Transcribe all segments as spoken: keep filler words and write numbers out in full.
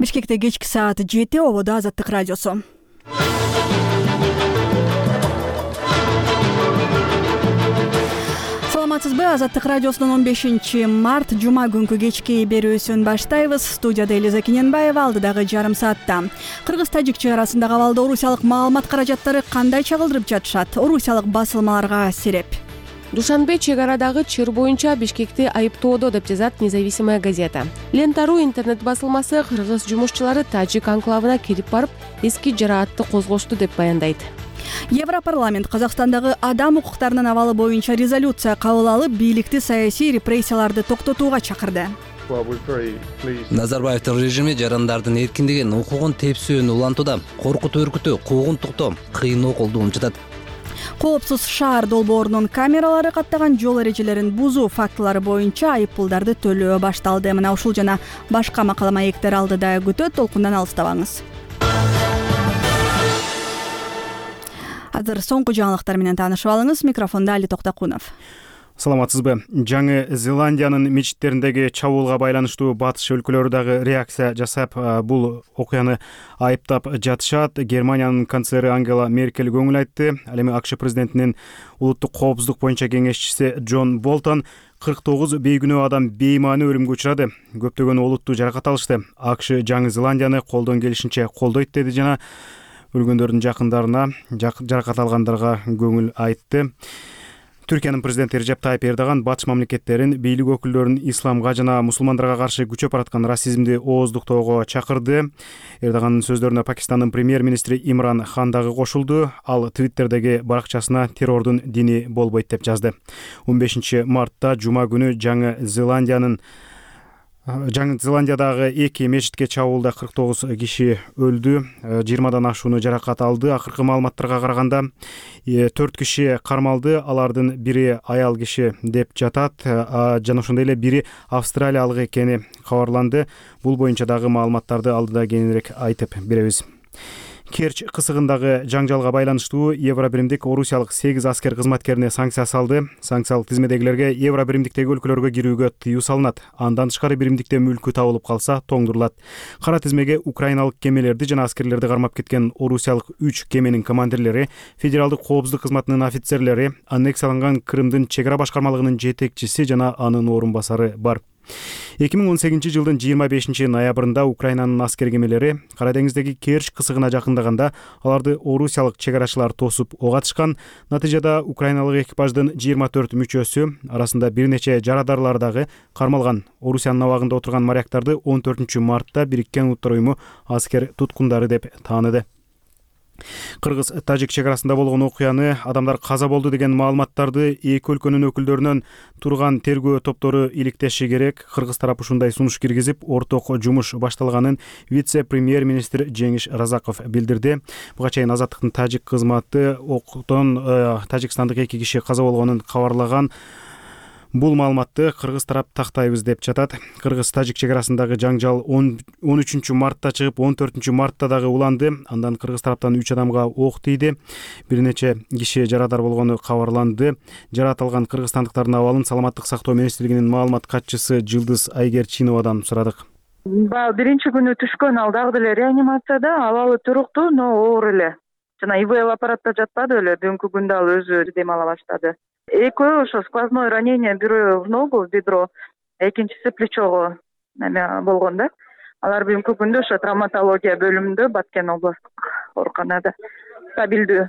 Бишкекте кечки саат жети, ободо Азаттык радиосу. Саламатсызбы? Азаттык радиосунун он бешинчи март жума күнкү кечки берүүсүн баштайбыз. Студияда Элиза Кененбаева, алдыдагы жарым саатта. Кыргыз-тажик чек арасындагы абалда орусиялык маалымат каражаттары кандай чагылдырып жатышат? Орусиялык басылмаларга сереп. Душанбе чек арадагы чыр боюнча Бишкекти айыптоодо деп жазат Независимая газета. Лента.ру интернет басылмасы кыргыз жумушчулары тажик анклавына кирип барып, эски жараатты козгошту деп баяндайт. Европарламент Казакстандагы адам укуктарынын абалы боюнча резолюция кабыл алып, бийликти саясий репрессияларды токтотууга чакырды. Назарбаевдин режими жарандардын эркиндигин, укугун тепсүүнү улантууда, коркутуу үркүтүү, куугунтуктоо, кыйноо колдоону жатат. Коопсуз шаар долбоорунун камералары каттаган жол эрежелерин бузуу фактылары боюнча айыппулдарды төлөө башталды. Мына ушул жана башка макала маектер алдыда күтөт, толкундан алыстабаңыз. Азыр соңку жаңылыктар менен таанышып алыңыз. Микрофондо Али Токтокунов. Саламатсызбы? Жаңы Зеландиянын мечиттериндеги чабуулга байланыштуу батыш өлкөлөрү дагы реакция жасап, бул окуяны айыптап жатышат. Германиянын канцлери Ангела Меркель көңүл айтты. Ал эми АКШ президентинин улуттук коопсуздук боюнча кеңешчиси Джон Болтон кырк тогуз бейгүнөө адам беймани өлүмгө учурады. Көптөгөн олуттуу жаракат алышты. АКШ Жаңы Зеландияны колдон келишинче колдойт деди жана өлгөндөрдүн жакындарына, жаракат алгандарга көңүл айтты. Түркиянын президенти Режеп Тайип Эрдоган батыш мамлекеттерин бийлик өкүлдөрүн исламга жана мусулмандарга каршы күчөп бараткан расизмди ооздуктоого чакырды. Эрдогандын сөздөрүнө Пакистандын премьер-министри Имран Хан дагы кошулду. Ал Твиттердеги баракчасына террордун дини болбойт деп жазды. он бешинчи мартта жума күнү Жаңы Зеландиянын Жаңы Зеландиядагы эки мечитке чабуулда кырк тогуз киши өлдү, жыйырмадан ашууну жаракат алды. Акыркы маалыматтарга караганда төрт киши кармалды, алардын бири аял киши деп жатат, жана ошондой эле бири австралиялык экени кабарланды. Бул боюнча дагы маалыматтарды алдыда кененирээк айтып беребиз. Керч кысыгындагы жаңжалга байланыштуу Евробиримдик орусиялык сегиз аскер кызматкерине санкция салды. Санкциялык тизмедегилерге Евробиримдиктеги өлкөлөргө кирүүгө тыюу салынат. Андан тышкары биримдикте мүлкү табылып калса тоңдурулат. Кара тизмеге украиналык кемелерди жана аскерлерди кармап кеткен орусиялык үч кеменин командирлери, федералдык коопсуздук кызматынын офицерлери, аннексияланган Крымдын чек ара башкармалыгынын жетекчиси жана анын орун басары бар. эки миң он сегизинчи жылдын жыйырма бешинчи ноябрында Украинанын аскер кемелери Кара деңиздеги Керч кысыгына жакындаганда аларды орусиялык чек арачылар тосуп ок атышкан. Натыйжада украиналык экипаждын жыйырма төрт мүчөсү, арасында бир нече жарадарлар дагы кармалган. Орусиянын абагында отурган моряктарды он төртүнчү мартта Бириккен Улуттар уюму аскер туткундары деп тааныды. Кыргыз-тажик чек арасында болгон окуяны, адамдар каза болду деген маалыматтарды эки өлкөнүн өкүлдөрүнөн турган тергөө топтору иликтеши керек. Кыргыз тарап ушундай сунуш киргизип, орток жумуш башталганын вице-премьер-министр Жеңиш Разаков билдирди. Буга чейин Азаттыктын тажик кызматы октон тажикстандык эки киши каза болгонун кабарлаган. Бул маалыматты кыргыз тарап тактайбыз деп жатат. Кыргыз-тажик чек арасындагы жаңжал он үчүнчү мартта чыгып, он төртүнчү мартта дагы уланды. Андан кыргыз тараптан үч адамга ок тийди. Бир нече киши жарадар болгону кабарланды. Жараат алган кыргызстандыктардын абалын Саламаттык сактоо министрлигинин маалымат катчысы Жылдыз Айгерчиновадан сурадык. Баягы биринчи күнү түшкөн, ал дагы деле реанимацияда, абалы туруктуу, но оор эле. Жана ИВЛ аппаратта жатпады эле, бүгүнкү күндө ал өзү дем ала баштады. Экөө ошо сквозное ранение, бирөө в ногу, в бедро, экинчиси плечого неме болгон да. Алар бүгүнкү күндө ошо травматология бөлүмүндө Баткен областтык ооруканада стабилдүү.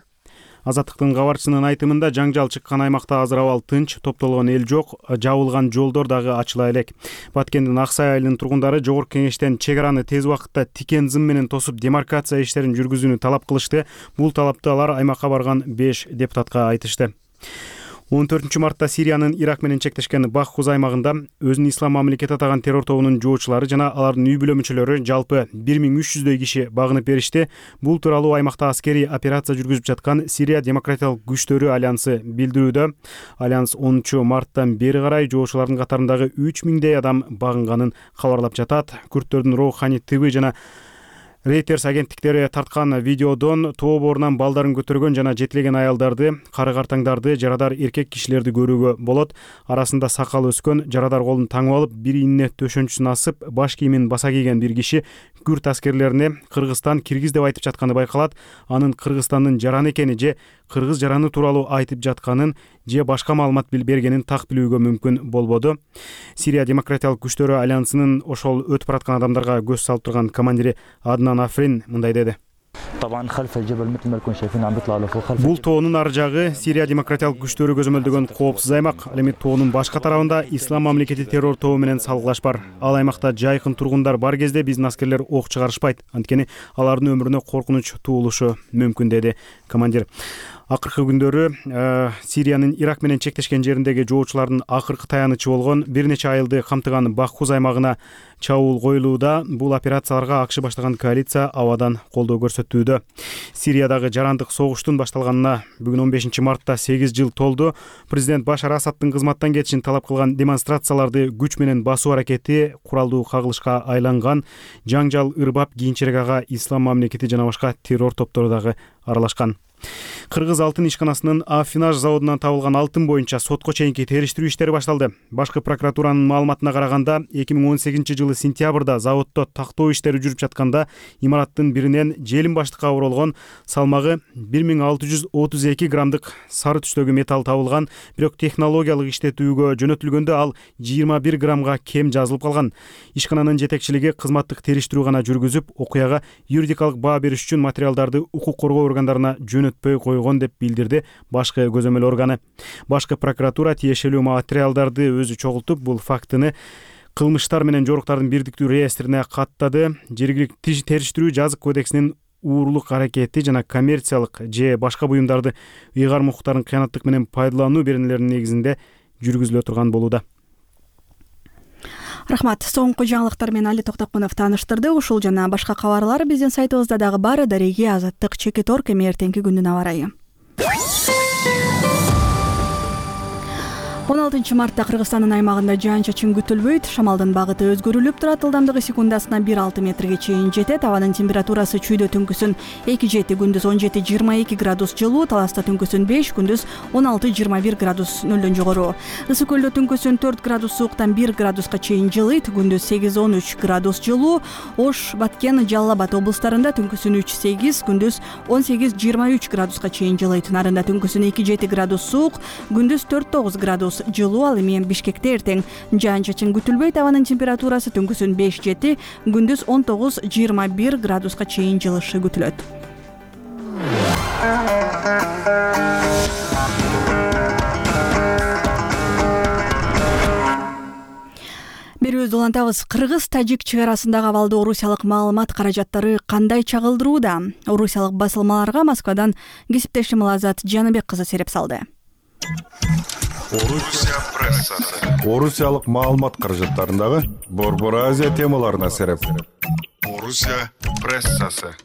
Азаттыктын кабарчысынын айтымында жаңжал чыккан аймакта азыр абал тынч, топтолгон эл жок, жабылган жолдор дагы ачыла элек. Баткендин Аксай айылынын тургундары Жогорку Кеңештен чек араны тез убакытта тикен зым менен тосуп демаркация иштерин жүргүзүүнү талап кылышты. Бул талапты алар аймакка барган беш депутатка айтышты. он төртүнчү мартта Сириянын Ирак менен чектешкен Баххуз аймагында өзүн ислам мамлекети атаган террор тобунун жоочулары жана алардын үй бүлө мүчөлөрү жалпы бир миң үч жүздөй киши багынып беришти. Бул тууралуу аймакта аскерий операция жүргүзүп жаткан Сирия демократиялык күчтөрү альянсы билдирүүдө. Альянс онунчу марттан бери карай жоочулардын катарындагы үч миңдей адам багынганын кабарлап жатат. Күрттөрдүн Роухани ТВ жана Reuters агенттиктери тарткан видеодон тоо боорунан балдарын көтөргөн жана жетилеген аялдарды, кары картаңдарды, жарадар эркек кишилерди көрүүгө болот. Арасында сакал өскөн, жарадар колун таңып алып, бир ийине төшөнчүсүн асып, баш кийимин баса кийген бир киши күрд аскерлерине Кыргызстан киргиз деп айтып жатканы байкалат. Анын Кыргызстандын жараны экени же кыргыз жараны тууралуу айтып жатканын же башка маалымат бергенин так билүүгө мүмкүн болбоду. Сирия демократиялык күчтөрү альянсынын ошол өтүп бараткан адамдарга көз салып турган командири Аднан Африн мындай деди. Бул тоонун ар жагы Сирия демократиялык күчтөрү көзөмөлдөгөн коопсуз аймак. Ал эми тоонун башка тарабында Ислам мамлекети террор тобу менен салгылаш бар. Ал аймакта жайкын тургундар бар кезде биздин аскерлер ок чыгарышпайт. Анткени алардын өмүрүнө коркунуч туулушу мүмкүн, деди командир. Акыркы күндөрү Сириянын Ирак менен чектешкен жериндеги жоочулардын акыркы таянычы болгон бир нече айылды камтыган Баххуз аймагына чабуул коюлууда. Бул операцияларга АКШ баштаган коалиция абадан колдоо көрсөтүүдө. Сириядагы жарандык согуштун башталганына бүгүн он бешинчи мартта сегиз жыл толду. Президент Башар Асадтын кызматтан кетишин талап кылган демонстрацияларды күч менен басуу аракети куралдуу кагылышка айланган. Жаңжал ырбап кийинчерээк ага Ислам мамлекети жана башка террор топтору дагы аралашкан. Кыргыз алтын ишканасынын Афинаж заводунан табылган алтын боюнча сотко чейинки териштирүү иштери башталды. Башкы прокуратуранын маалыматына караганда, эки миң он сегизинчи жылы сентябрда заводдо тактоо иштери жүрүп жатканда имараттын биринен желим баштыкка оролгон салмагы бир миң алты жүз отуз эки граммдык сары түстөгү металл табылган. Бирок технологиялык иштетүүгө жөнөтүлгөндө ал жыйырма бир граммга кем жазылып калган. Ишкананын жетекчилиги кызматтык териштирүү гана жүргүзүп, окуяга юридикалык баа бериш үчүн материалдарды укук коргоо органдарына жөнөтпөй койгон деп билдирди башкы көзөмөл органы. Башкы прокуратура тиешелүү материалдарды өзү чогултуп, бул фактыны кылмыштар менен жоруктардын бирдиктүү реестрине каттады. Жергиликтүү териштирүү жазык кодексинин уурулук аракети жана коммерциялык же башка буюмдарды ыйгарым укуктарын кыянаттык менен пайдалануу беренелеринин негизинде жүргүзүлө турган болууда. Рахмат. Соңку жаңылыктар менен Али Токтокунов тааныштырды. Ушул жана башка кабарлар биздин сайтыбызда дагы бар. Дареги Азаттык Чекит Орг. Эми эртеңки күндүн аба ырайы. он алтынчы мартта Кыргызстандын аймагында жаан-чачын күтүлбөйт. Шамалдын багыты өзгөрүлүп турат. Ылдамдыгы секундасына бир алты метрге чейин жетет. Абанын температурасы чүйдө түнкүсүн эки жети, күндүз он жети жыйырма эки градус жылуу, Таласта түнкүсүн беш, күндүз он алты жыйырма бир градус нөлдөн жогору. Ысык көлдө түнкүсүн төрт градус сууктан бир градуска чейин жылыйт, күндүз сегиз он үч градус жылуу. Ош, Баткен, Жалал Абад облустарында түнкүсүн үч сегиз, күндүз он сегиз жыйырма үч градуска чейин жылыйт. Нарында түнкүсүн эки жети градус суук, күндүз төрт тогуз градус жылуу. Ал эми Бишкекте эртең жаан-чачын күтүлбөйт. Абанын температурасы түнкүсүн беш жети, күндүз он тогуз жыйырма бир градуска чейин жылышы күтүлөт. Берүүбүздү улантабыз. Кыргыз-тажик чек арасындагы абалды орусиялык маалымат каражаттары кандай чагылдырууда? Орусиялык басылмаларга Москвадан кесиптешим Азат Жаныбек кызы сереп салды. Орусия прессасы. Орусиялык маалымат каражаттарындагы Борбор Азия темаларына сереп. Орусия прессасы.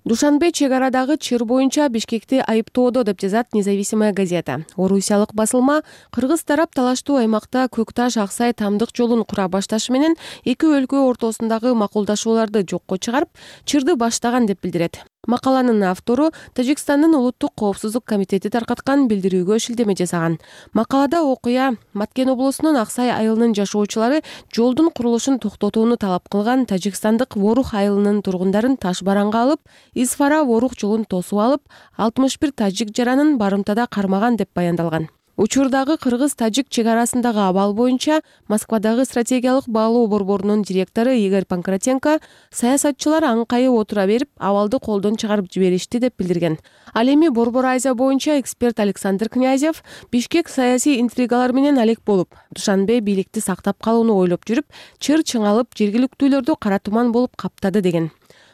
Душанбе чек арадагы чыр боюнча Бишкекти айыптоодо деп жазат Независимая газета. Орусиялык басылма кыргыз тарап талаштуу аймакта Көкташ Аксай тамдык жолун кура башташы менен эки өлкө ортосундагы макулдашууларды жокко чыгарып, чырды баштаган деп билдирет. Макаланын автору Тажикстандын улуттук коопсуздук комитети таркаткан билдирүүгө шилтеме жасаган. Макалада окуя Маткен облусунун Аксай айылынын жашоочулары жолдун курулушун токтотууну талап кылган тажикстандык Ворух айылынын тургундарын таш бараңга алып, Исфара Ворух жолун тосуп алып, алтымыш бир тажик жаранын барымтада кармаган деп баяндалган. Учурдагы кыргыз-тажик чек арасындагы абал боюнча Москвадагы стратегиялык баалоо борборунун директору Игорь Панкратенко саясатчылар аңкайып отура берип, абалды колдон чыгарып жиберишти деп билдирген. Ал эми Борбор Азия боюнча эксперт Александр Князев Бишкек саясий интригалар менен алек болуп, Душанбе бийликти сактап калууну ойлоп жүрүп, чыр чыңалып, жергиликтүүлөрдү кара туман болуп каптады деген.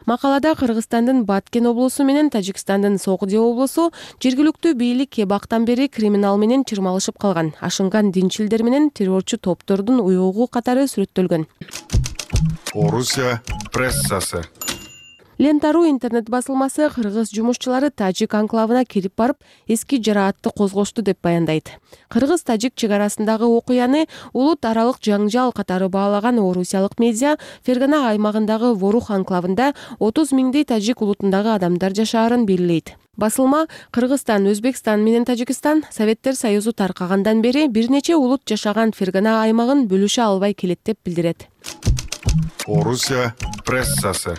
Макалада Кыргызстандын Баткен облусу менен Тажикстандын Согди облусу жергиликтүү бийлик эбактан бери криминал менен чырмалышып калган, ашынган динчилдер менен террорчу топтордун уюгу катары сүрөттөлгөн. Орусия прессасы. Лентару интернет басылмасы кыргыз жумушчулары тажик анклавына кирип барып, эски жараатты козгошту деп баяндайт. Кыргыз-тажик чек арасындагы окуяны улут аралык жаңжал катары баалаган орусиялык медиа Фергана аймагындагы Ворух анклавында отуз миңдей тажик улутундагы адамдар жашаарын белгилейт. Басылма Кыргызстан, Өзбекстан менен Тажикстан Советтер Союзу таркагандан бери бир нече улут жашаган Фергана аймагын бөлүшө албай келет деп билдирет. Орусия прессасы.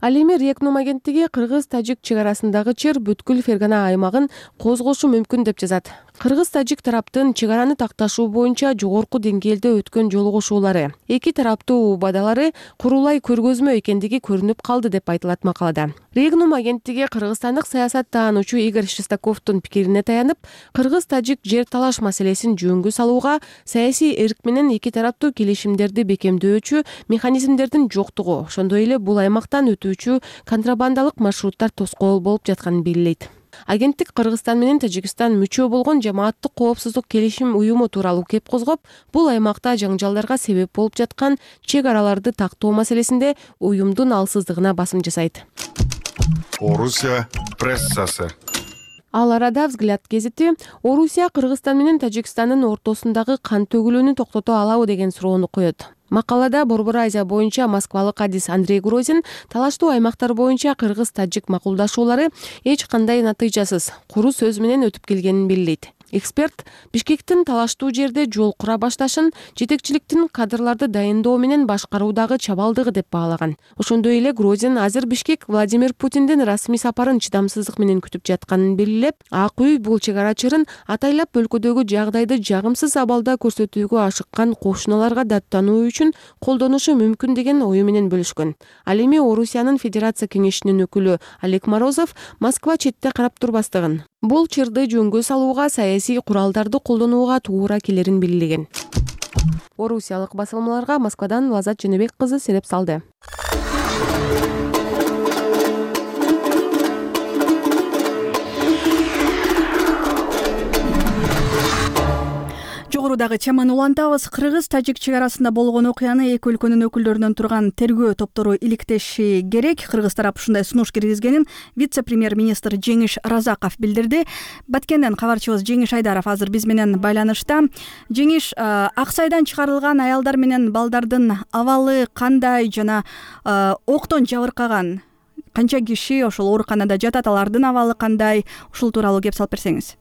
Ал эми Рекнум агенттиги кыргыз-тажик чек арасындагы чыр бүткүл Фергана аймагын козгошу мүмкүн деп жазат. Кыргыз-тажик тараптын чек араны такташуу боюнча жогорку деңгээлде өткөн жолугушуулары, эки тараптуу убадалары курулай көргөзмө экендиги көрүнүп калды деп айтылат макалада. Регнум агенттиги кыргызстандык саясаттаануучу Игорь Шестаковдун пикирине таянып, кыргыз-тажик жер талаш маселесин жөнгө салууга саясий эрк менен эки тараптуу келишимдерди бекемдөөчү механизмдердин жоктугу, ошондой эле бул аймактан өтүүчү контрабандалык маршруттар тоскоол болуп жатканын белгилейт. Агенттик Кыргызстан менен Тажикстан мүчө болгон жамааттык коопсуздук келишим уюму тууралуу кеп козгоп, бул аймакта жаңжалдарга себеп болуп жаткан чек араларды тактоо маселесинде уюмдун алсыздыгына басым жасайт. Орусия прессасы. Ал арада Взгляд гезити Орусия Кыргызстан менен Тажикстандын ортосундагы кан төгүлүүнү токтото алабы деген суроону коет. Макалада Борбор Азия боюнча москвалык адис Андрей Грозин талаштуу аймактар боюнча кыргыз-тажик макулдашуулары эч кандай натыйжасыз, куру сөз менен өтүп келгенин белгилейт. Эксперт Бишкектин талаштуу жерде жол кура башташын жетекчиликтин кадрларды дайындоо менен башкаруудагы чабалдыгы деп баалаган. Ошондой эле Грозин азыр Бишкек Владимир Путиндин расмий сапарын чыдамсыздык менен күтүп жатканын белгилеп, Ак үй бул чек ара чырын атайлап өлкөдөгү жагдайды жагымсыз абалда көрсөтүүгө ашыккан кошуналарга даттануу үчүн колдонушу мүмкүн деген ою менен бөлүшкөн. Ал эми Орусиянын Федерация кеңешинин өкүлү Олег Морозов Москва четте карап турбастыгын, бул чырды жөнгө салууга саясий куралдарды колдонууга туура келерин белгилеген. Орусиялык басылмаларга Москвадан Лазат Женебек кызы сереп салды. Жогорудагы теманы улантабыз. Кыргыз-тажик чек арасында болгон окуяны эки өлкөнүн өкүлдөрүнөн турган тергөө топтору иликтеши керек. Кыргыз тарап ушундай сунуш киргизгенин вице-премьер-министр Жеңиш Разаков билдирди. Баткенден кабарчыбыз Жеңиш Айдаров азыр биз менен байланышта. Жеңиш, Аксайдан чыгарылган аялдар менен балдардын абалы кандай жана октон жабыркаган канча киши ошол ооруканада жатат, алардын абалы кандай? Ушул тууралуу кеп салып берсеңиз.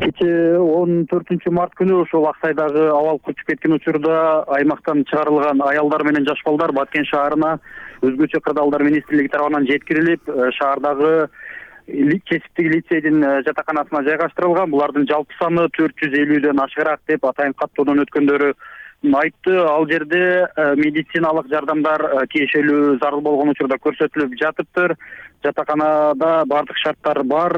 Кечээ он төртүнчү март күнү ошол Аксайдагы абал көчүп кеткен учурда аймактан чыгарылган аялдар менен жаш балдар Баткен шаарына өзгөчө кырдаалдар министрлиги тарабынан жеткирилип, шаардагы кесиптик лицейдин жатаканасына жайгаштырылган. Булардын жалпы саны төрт жүз элүүдөн ашыгыраак деп атайын каттоодон өткөндөрү айтты. Ал жерде медициналык жардамдар тиешелүү зарыл болгон учурда көрсөтүлүп жатыптыр. Жатаканада бардык шарттар бар,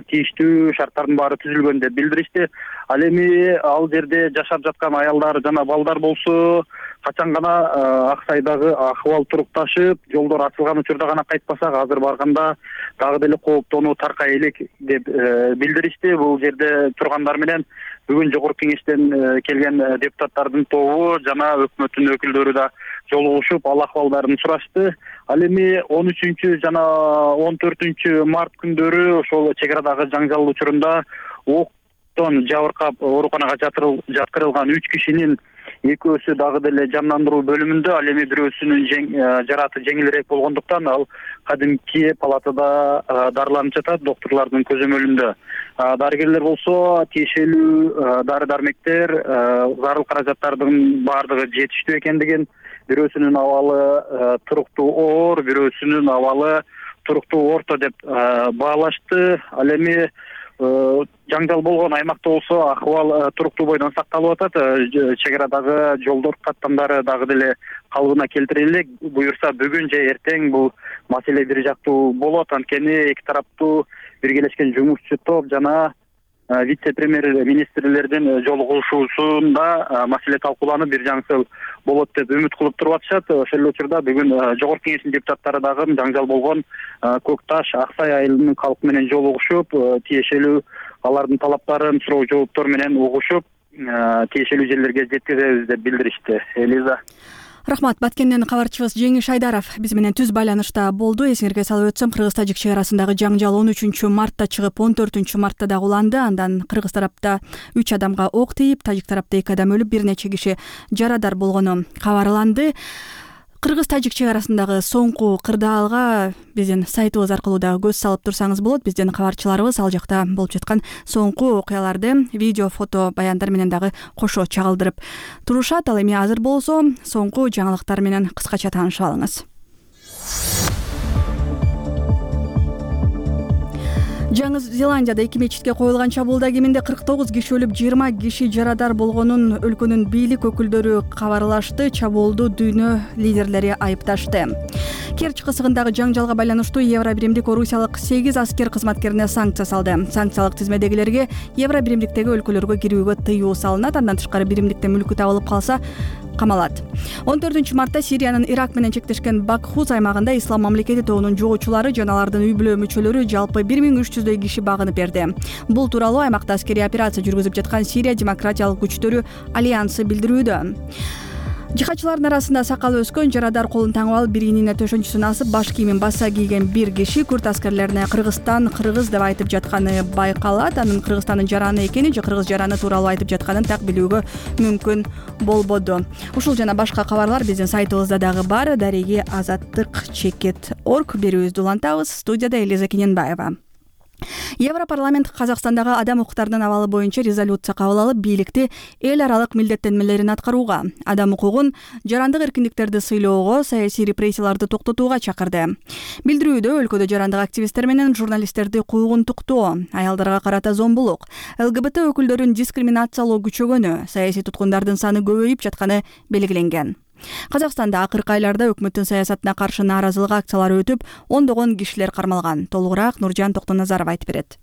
тийиштүү шарттардын баары түзүлгөн деп билдиришти. Ал эми ал жерде жашап жаткан аялдар жана балдар болсо качан гана Аксайдагы акыбал турукташып, жолдор ачылган учурда гана кайтпасак, азыр барганда дагы деле кооптонуу таркай элек деп билдиришти. Бул жерде тургандар менен бүгүн жогорку кеңештен келген депутаттардын тобу жана өкмөттүн өкүлдөрү да жолугушуп, ал акыбалдарын сурашты. Ал эми он үчүнчү жана он төртүнчү март күндөрү ошол чек арадагы жаңжал учурунда октон жабыркап ооруканага жаткырылган үч кишинин экөөсү дагы деле жандандыруу бөлүмүндө, ал эми бирөөсүнүн жараты жеңилирээк болгондуктан ал кадимки палатада дарыланып жатат, доктурлардын көзөмөлүндө. Дарыгерлер болсо тиешелүү дары дармектер, зарыл каражаттардын баардыгы жетиштүү экендигин, бирөөсүнүн абалы туруктуу оор, бирөөсүнүн абалы туруктуу орто деп баалашты. Ал эми жаңжал болгон аймакта болсо акыбал туруктуу бойдон сакталып атат. Чек арадагы жолдор каттамдары дагы деле калыбына келтирилет. Буюрса бүгүн же эртең бул маселе бир жактуу болот. Анткени эки тараптуу биргелешкен жумушчу топ жана вице-премьер министрлердин жолугушуусунда маселе талкууланып бир жаңсыл болот деп үмүт кылып туруп атышат. Ошол эле учурда бүгүн жогорку кеңештин депутаттары дагы жаңжал болгон Көк Таш, Аксай айылынын калкы менен жолугушуп, тиешелүү алардын талаптарын суроо жооптор менен угушуп, тиешелүү жерлерге жеткизебиз деп билдиришти. Элиза. Рахмат. Баткенден кабарчыбыз Жеңиш Айдаров биз менен түз байланышта болду. Эсиңерге салып өтсөм, Кыргыз-тажик чек арасындагы жаңжал он үчүнчү мартта чыгып, он төртүнчү мартта дагы уланды. Андан кыргыз тарапта үч адамга ок тийип, тажик тарапта эки адам өлүп, бир нече киши жарадар болгону кабарланды. Кыргыз-тажик чек арасындагы соңку кырдаалга биздин сайтыбыз аркылуу дагы көз салып турсаңыз болот. Биздин кабарчыларыбыз ал жакта болуп жаткан соңку окуяларды видео, фото баяндар менен дагы кошо чагылдырып турушат. Ал эми азыр болсо соңку жаңылыктар менен кыскача таанышып алыңыз. Жаңы Зеландияда эки мечитке коюлган чабуулда кеминде кырк тогуз киши өлүп, жыйырма киши жарадар болгонун өлкөнүн бийлик өкүлдөрү кабарлашты. Чабуулду дүйнө лидерлери айыпташты. Керч кысыгындагы жаңжалга байланыштуу Евробиримдик орусиялык сегиз аскер кызматкерине санкция салды. Санкциялык тизмедегилерге Евробиримдиктеги өлкөлөргө кирүүгө тыюу салынат. Андан тышкары биримдикте мүлкү табылып калса камалат. он төртүнчү мартта Сириянын Ирак менен чектешкен Бакхуз аймагында Ислам мамлекети тобунун жоочулары жана алардын үй бүлө мүчөлөрү жалпы бир миң үч жүздөй киши багынып берди. Бул тууралуу аймакта аскерий операция жүргүзүп жаткан Сирия демократиялык күчтөрү альянсы билдирүүдө. Жихадчылардын арасында сакалы өскөн, жарадар колун таңып алып, биригинине төшөнчүсүн асып, баш кийимин баса кийген бир киши күрд аскерлерине Кыргызстан кыргыз деп айтып жатканы байкалат. Анын Кыргызстандын жараны экени же кыргыз жараны тууралуу айтып жатканын так билүүгө мүмкүн болбоду. Ушул жана башка кабарлар биздин сайтыбызда дагы бар. Дареги азаттык чекит точка орг берүүбүздү улантабыз. Студияда Элиза Кененбаева. Европарламент Казакстандагы адам укуктарынын абалы боюнча резолюция кабыл алып, бийликти эл аралык милдеттенмелерин аткарууга, адам укугун, жарандык эркиндиктерди сыйлоого, саясий репрессияларды токтотууга чакырды. Билдирүүдө өлкөдө жарандык активисттер менен журналисттерди куугунтуктоо, аялдарга карата зомбулук, ЛГБТ өкүлдөрүн дискриминациялоо күчөгөнү, саясий туткундардын саны көбөйүп жатканы белгиленген. Казакстанда акыркы айларда өкмөттүн саясатына каршы нааразылык акциялары өтүп, ондогон кишилер кармалган. Толугураак Нуржан Токтоназаров айтып берет.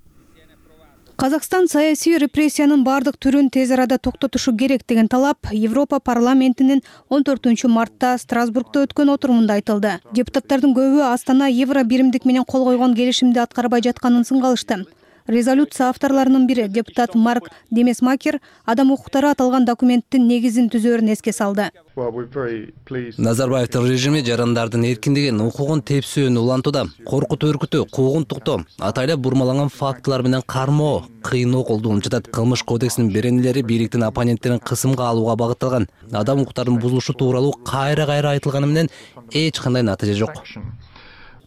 Казакстан саясий репрессиянын бардык түрүн тез арада токтотушу керек деген талап Европа парламентинин он төртүнчү мартта Страсбургда өткөн отурумунда айтылды. Депутаттардын көбү Астана Евробиримдик менен кол койгон келишимди аткарбай жатканын сынгалышты. Резолюция авторларынын бири депутат Марк Демесмакер адам укуктары аталган документтин негизин түзөөрүн эске салды. Назарбаевдин режими жарандардын эркиндигин, укугун тепсөөнү улантууда. Коркутуу өркүтүү, куугунтуктоо, атайлап бурмаланган фактылар менен кармоо, кыйноо колдонуп жатат. Кылмыш кодексинин беренелери бийликтин оппоненттерин кысымга алууга багытталган. Адам укуктарынын бузулушу тууралуу кайра-кайра айтылганы менен эч кандай натыйжа жок.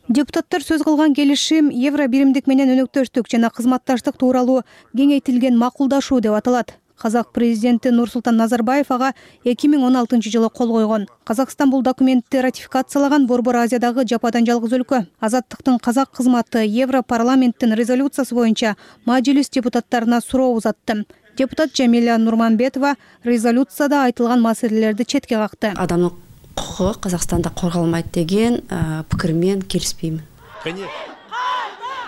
Депутаттар сөз кылган келишим Евробиримдик менен өнөктөштүк жана кызматташтык тууралуу кеңейтилген макулдашуу деп аталат. Казак президенти Нурсултан Назарбаев ага эки миң он алтынчы жылы кол койгон. Казакстан бул документти ратификациялаган Борбор Азиядагы жападан жалгыз өлкө. Азаттыктын казак кызматы Европарламенттин резолюциясы боюнча мажлис депутаттарына суроо узатты. Депутат Жамиля Нурманбетова резолюцияда айтылган маселелерди четке какты. Адамдын укугу Казакстанда корголмайт деген пикир менен келишпеймин.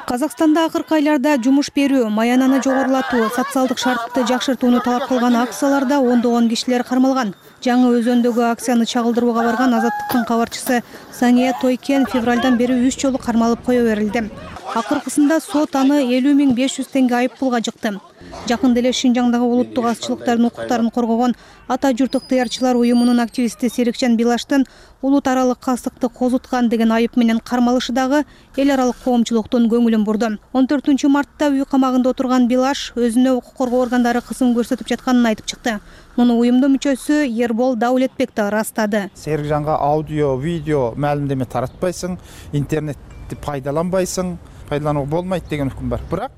Казакстанда акыркы айларда жумуш берүү, маянаны жогорулатуу, социалдык шартты жакшыртууну талап кылган акцияларда ондогон кишилер кармалган. Жаңы Өзөндөгү акцияны чагылдырууга барган Азаттыктын кабарчысы Сания Тойкен февралдан бери үч жолу кармалып кое берилди. Акыркысында сот аны элүү миң беш жүз теңге айып пулга жыкты. Жакында эле Шинжаңдагы улуттук азчылыктардын укуктарын коргогон Ата журт ыктыярчылар уюмунун активисти Серикжан Билаштын улут аралык кастыкты козуткан деген айып менен кармалышы дагы эл аралык коомчулуктун көңүлүн бурду. он төртүнчү мартта үй камагында отурган Билаш өзүнө укук коргоо органдары кысым көрсөтүп жатканын айтып чыкты. Муну уюмдун мүчөсү Ербол Даулетбек да ырастады. Серикжанга аудио, видео маалимдеме таратпайсың, интернетти пайдаланбайсың, пайдаланууга болмойт деген үкүм бар. Бирок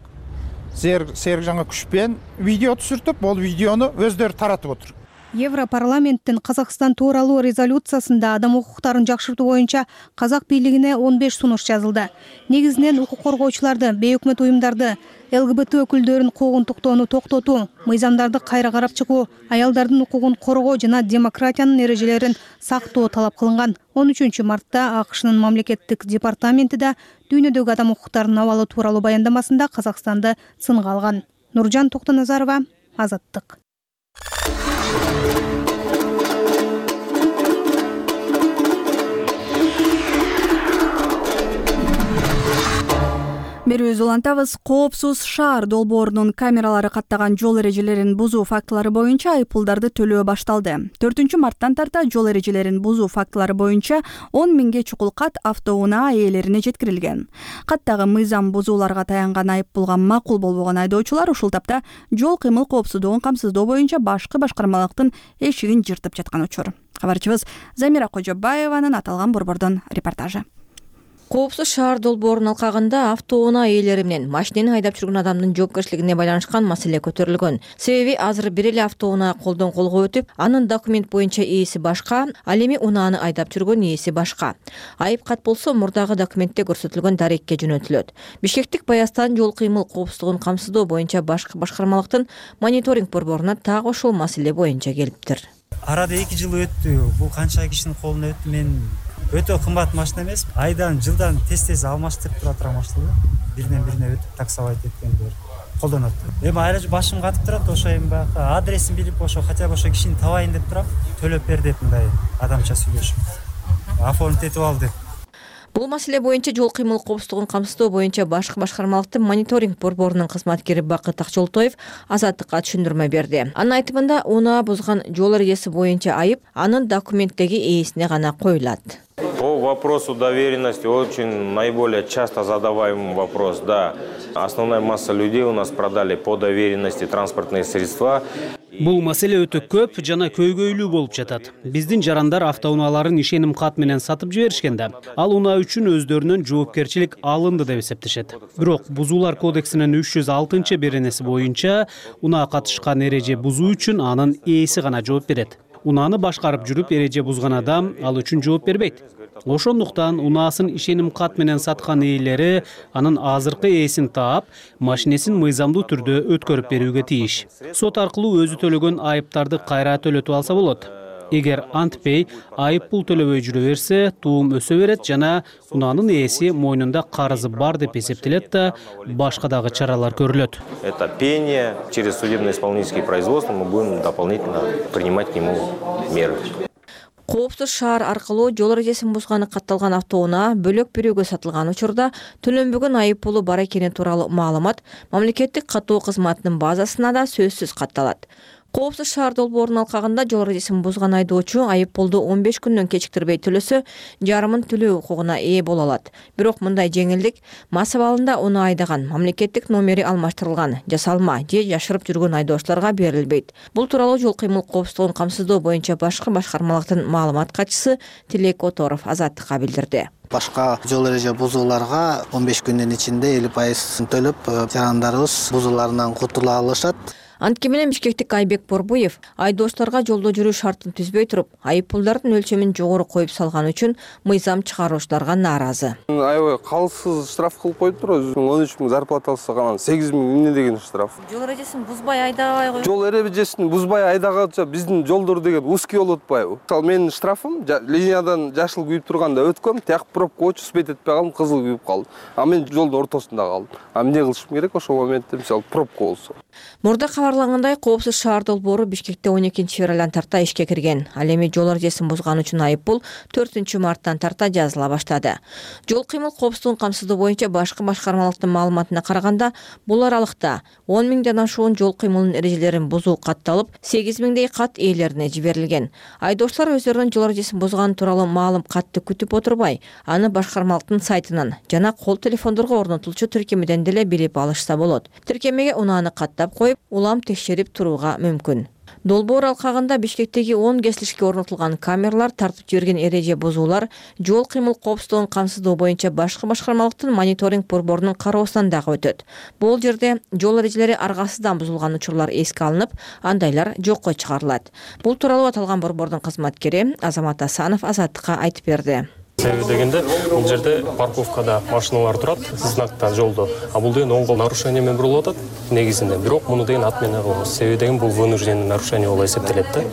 Серикжанга күчпен видео түшүртүп, ол видеону өздөрү таратып отур. Европарламенттин Казакстан тууралуу резолюциясында адам укуктарын жакшыртуу боюнча казак бийлигине он беш сунуш жазылды. Негизинен укук коргоочуларды, бейөкмөт уюмдарды, ЛГБТ өкүлдөрүн куугунтуктоону токтотуу, мыйзамдарды кайра карап чыгуу, аялдардын укугун коргоо жана демократиянын эрежелерин сактоо талап кылынган. он үчүнчү мартта АКШнын мамлекеттик департаменти да дүйнөдөгү адам укуктарынын абалы тууралуу баяндамасында Казакстанды сынга алган. Нуржан Токтоназарова, Азаттык. берүүбүздү улантабыз. Коопсуз шаар долбоорунун камералары каттаган жол эрежелерин бузуу фактылары боюнча айыппулдарды төлөө башталды. төртүнчү марттан тарта жол эрежелерин бузуу фактылары боюнча он миңге чукул кат автоунаа ээлерине жеткирилген. Каттагы мыйзам бузууларга таянган айыппулга макул болбогон айдоочулар ушул тапта жол кыймыл коопсуздугун камсыздоо боюнча башкы башкармалыктын эшигин жыртып жаткан учур. Кабарчыбыз Замира Кожобаеванын аталган борбордон репортажы. Коопсуз шаар долбоорунун алкагында автоунаа ээлери менен машинени айдап жүргөн адамдын жоопкерчилигине байланышкан маселе көтөрүлгөн. Себеби азыр бир эле автоунаа колдон колго өтүп, анын документ боюнча ээси башка, ал эми унааны айдап жүргөн ээси башка. Айып кат болсо мурдагы документте көрсөтүлгөн дарекке жөнөтүлөт. Бишкектик Баястан жол кыймыл коопсуздугун камсыздоо боюнча башкы башкармалыктын мониторинг борборуна так ошол маселе боюнча келиптир. Арада эки жыл өттү. Бул канча кишинин колуна өттү. Мен өтө кымбат машина эмес. Айдан жылдан тез-тез алмаштырып тура турган машина. Биринен бирине өтүп таксовать эткендер колдонот. Эми айла башым катып турат, ошо эми баягы адресин билип, ошо хотя бы ошо кишини табайын деп турам. Төлөп бер деп мындай адамча сүйлөшүп. Оформить этип ал деп. Бул маселе боюнча жол кыймыл коопсуздугун камсыздоо боюнча башкы башкармалыктын мониторинг борборунун кызматкери Бакыт Акчолтоев Азаттыкка түшүндүрмө берди. Анын айтымында унаа бузган жол эрежеси боюнча айып анын документтеги ээсине гана коюлат. По вопросу доверенности очень наиболее часто задаваемый вопрос. Да, основная масса людей у нас продали по доверенности транспортные средства. Бул маселе өтө көп жана көйгөйлүү болуп жатат. Биздин жарандар автоунааларын ишеним кат менен сатып жиберишкенде, ал унаа үчүн өздөрүнөн жоопкерчилик алынды деп эсептешет. Бирок Бузуулар кодексинин үч жүз алтынчы беренеси боюнча унаа катышкан эреже бузуу үчүн анын ээси гана жооп берет. Унааны башкарып жүрүп эреже бузган адам ал үчүн жооп бербейт. Ошондуктан унаасын ишеним кат менен саткан ээлери анын азыркы ээсин таап, машинесин мыйзамдуу түрдө өткөрүп берүүгө тийиш. Сот аркылуу өзү төлөгөн айыптарды кайра төлөтүп алса болот. Эгер антпей айып пул төлөбөй жүрө берсе, туум өсө берет жана унаанын ээси мойнунда карызы бар деп эсептелет да, башка дагы чаралар көрүлөт. Это пение через судебно-исполнительские производства мы будем дополнительно принимать к нему меры. Коопсуз шаар аркылуу жол эрежесин бузганы катталган автоунаа бөлөк бирөөгө сатылган учурда төлөнбөгөн айып пулу бар экени тууралуу маалымат мамлекеттик каттоо кызматынын базасына да сөзсүз катталат. Коопсуз шаар долбоорунун алкагында жол эрежесин бузган айдоочу айып пулду он беш күндөн кечиктирбей төлөсө, жарымын төлөө укугуна ээ боло алат. Бирок мындай жеңилдик мас абалында унаа айдаган, мамлекеттик номери алмаштырылган, жасалма же жашырып жүргөн айдоочуларга берилбейт. Бул тууралуу жол кыймыл коопсуздугун камсыздоо боюнча башкы башкармалыктын маалымат катчысы Тилек Которов Азаттыкка билдирди. Башка жол эреже бузууларга он беш күндүн ичинде элүү пайыз төлөп, жарандарыбыз бузууларынан кутула алышат. Антке менен Бишкектик Айбек Борбуев айдоочуларга жолдо жүрүү шартын түзбөй туруп, айып пулдардын өлчөмүн жогору коюп салган үчүн мыйзам чыгаруучуларга нааразы. Аябай калсыз штраф кылып коюптур, он үч миң зарплата алса анан сегиз миң эмне деген штраф. Жол эрежесин бузбай айдабай коюп. Жол эрежесин бузбай айдаганча биздин жолдор деген узкий болуп атпайбы? Мисалы менин штрафым линиядан жашыл күйүп турганда өткөм, тияк пробка өчүп этпей калдым, кызыл күйүп калдым. А мен жолдун ортосунда калдым. А эмне кылышым керек ошол моментте, мисалы пробка болсо? Мурда кабарлангандай, коопсуз шаар долбоору Бишкекте он экинчи февралдан тарта ишке кирген. Ал эми жол эрежесин бузган үчүн айып пул төртүнчү марттан тарта жазыла баштады. Жол кыймыл коопсуздугун камсыздоо боюнча башкы башкармалыктын маалыматына караганда, бул аралыкта он миңден ашуун жол кыймылынын эрежелерин бузуу катталып, сегиз миңдей кат ээлерине жиберилген. Айдоочулар өздөрүнүн жол эрежесин бузганы тууралуу маалым катты күтүп отурбай, аны башкармалыктын сайтынан жана кол телефондорго орнотулчу тиркемеден деле билип алышса болот. Тиркемеге унааны каттап коюп, улам текшерип турууга мүмкүн. Долбоор алкагында Бишкектеги он кесилишке орнотулган камералар тартып жиберген эреже бузуулар жол кыймыл коопсуздугун камсыздоо боюнча башкы башкармалыктын мониторинг борборунун кароосунан дагы өтөт. Бул жерде жол эрежелери аргасыздан бузулган учурлар эске алынып, андайлар жокко чыгарылат. Бул тууралуу аталган борбордун кызматкери Азамат Асанов Азаттыкка айтып берди. Себеби дегенде бул жерде парковкада машиналар турат, знактан жолдо. А бул деген оң кол нарушение менен бурулуп атат негизинде. Бирок муну деген отмена кылабыз. Себеби деген бул вынужденный нарушение болуп эсептелет да.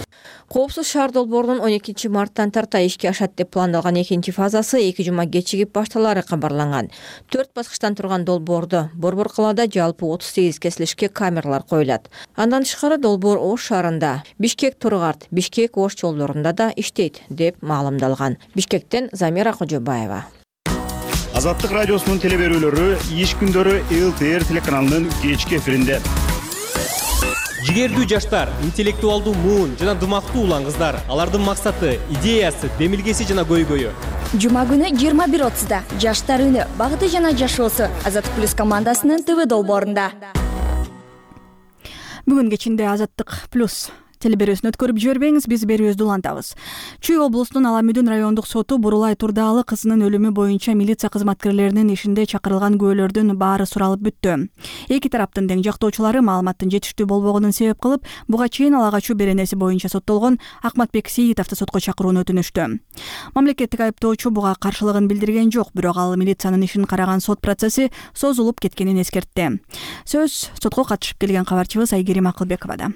Коопсуз шаар долбоорунун он экинчи марттан тарта ишке ашат деп пландалган экинчи фазасы эки жума кечигип башталары кабарланган. төрт баскычтан турган долбоордо борбор калаада жалпы отуз сегиз кесилишке камералар коюлат. Андан тышкары долбоор Ош шаарында, Бишкек Тургарт, Бишкек Ош жолдорунда да иштейт деп маалымдалган. Бишкектен Замира Кожобаева. Азаттык радиосунун теле берүүлөрү иш күндөрү эл ти эр телеканалынын кечки эфиринде. Жигердүү жаштар, интеллектуалдуу муун жана дымактуу улан кыздар. Алардын максаты, идеясы, демилгеси жана көйгөйү. Жума күнү жыйырма бир отузда жаштар үнү, багыты жана жашоосу Азаттык плюс командасынын ТВ долбоорунда. Бүгүн кечинде Азаттык плюс теле берүүсүн өткөрүп жибербеңиз, биз берүүбүздү улантабыз. Чүй облусунун Аламүдүн райондук соту Бурулай Турдаалы кызынын өлүмү боюнча милиция кызматкерлеринин ишинде чакырылган күбөлөрдүн баары суралып бүттү. Эки тараптын тең жактоочулары маалыматтын жетиштүү болбогонун себеп кылып, буга чейин ала качуу беренеси боюнча соттолгон Акматбек Сейитовду сотко чакырууну өтүнүштү. Мамлекеттик айыптоочу буга каршылыгын билдирген жок, бирок ал милициянын ишин караган сот процесси созулуп кеткенин эскертти. Сөз сотко катышып келген кабарчыбыз Айгерим Акылбековада.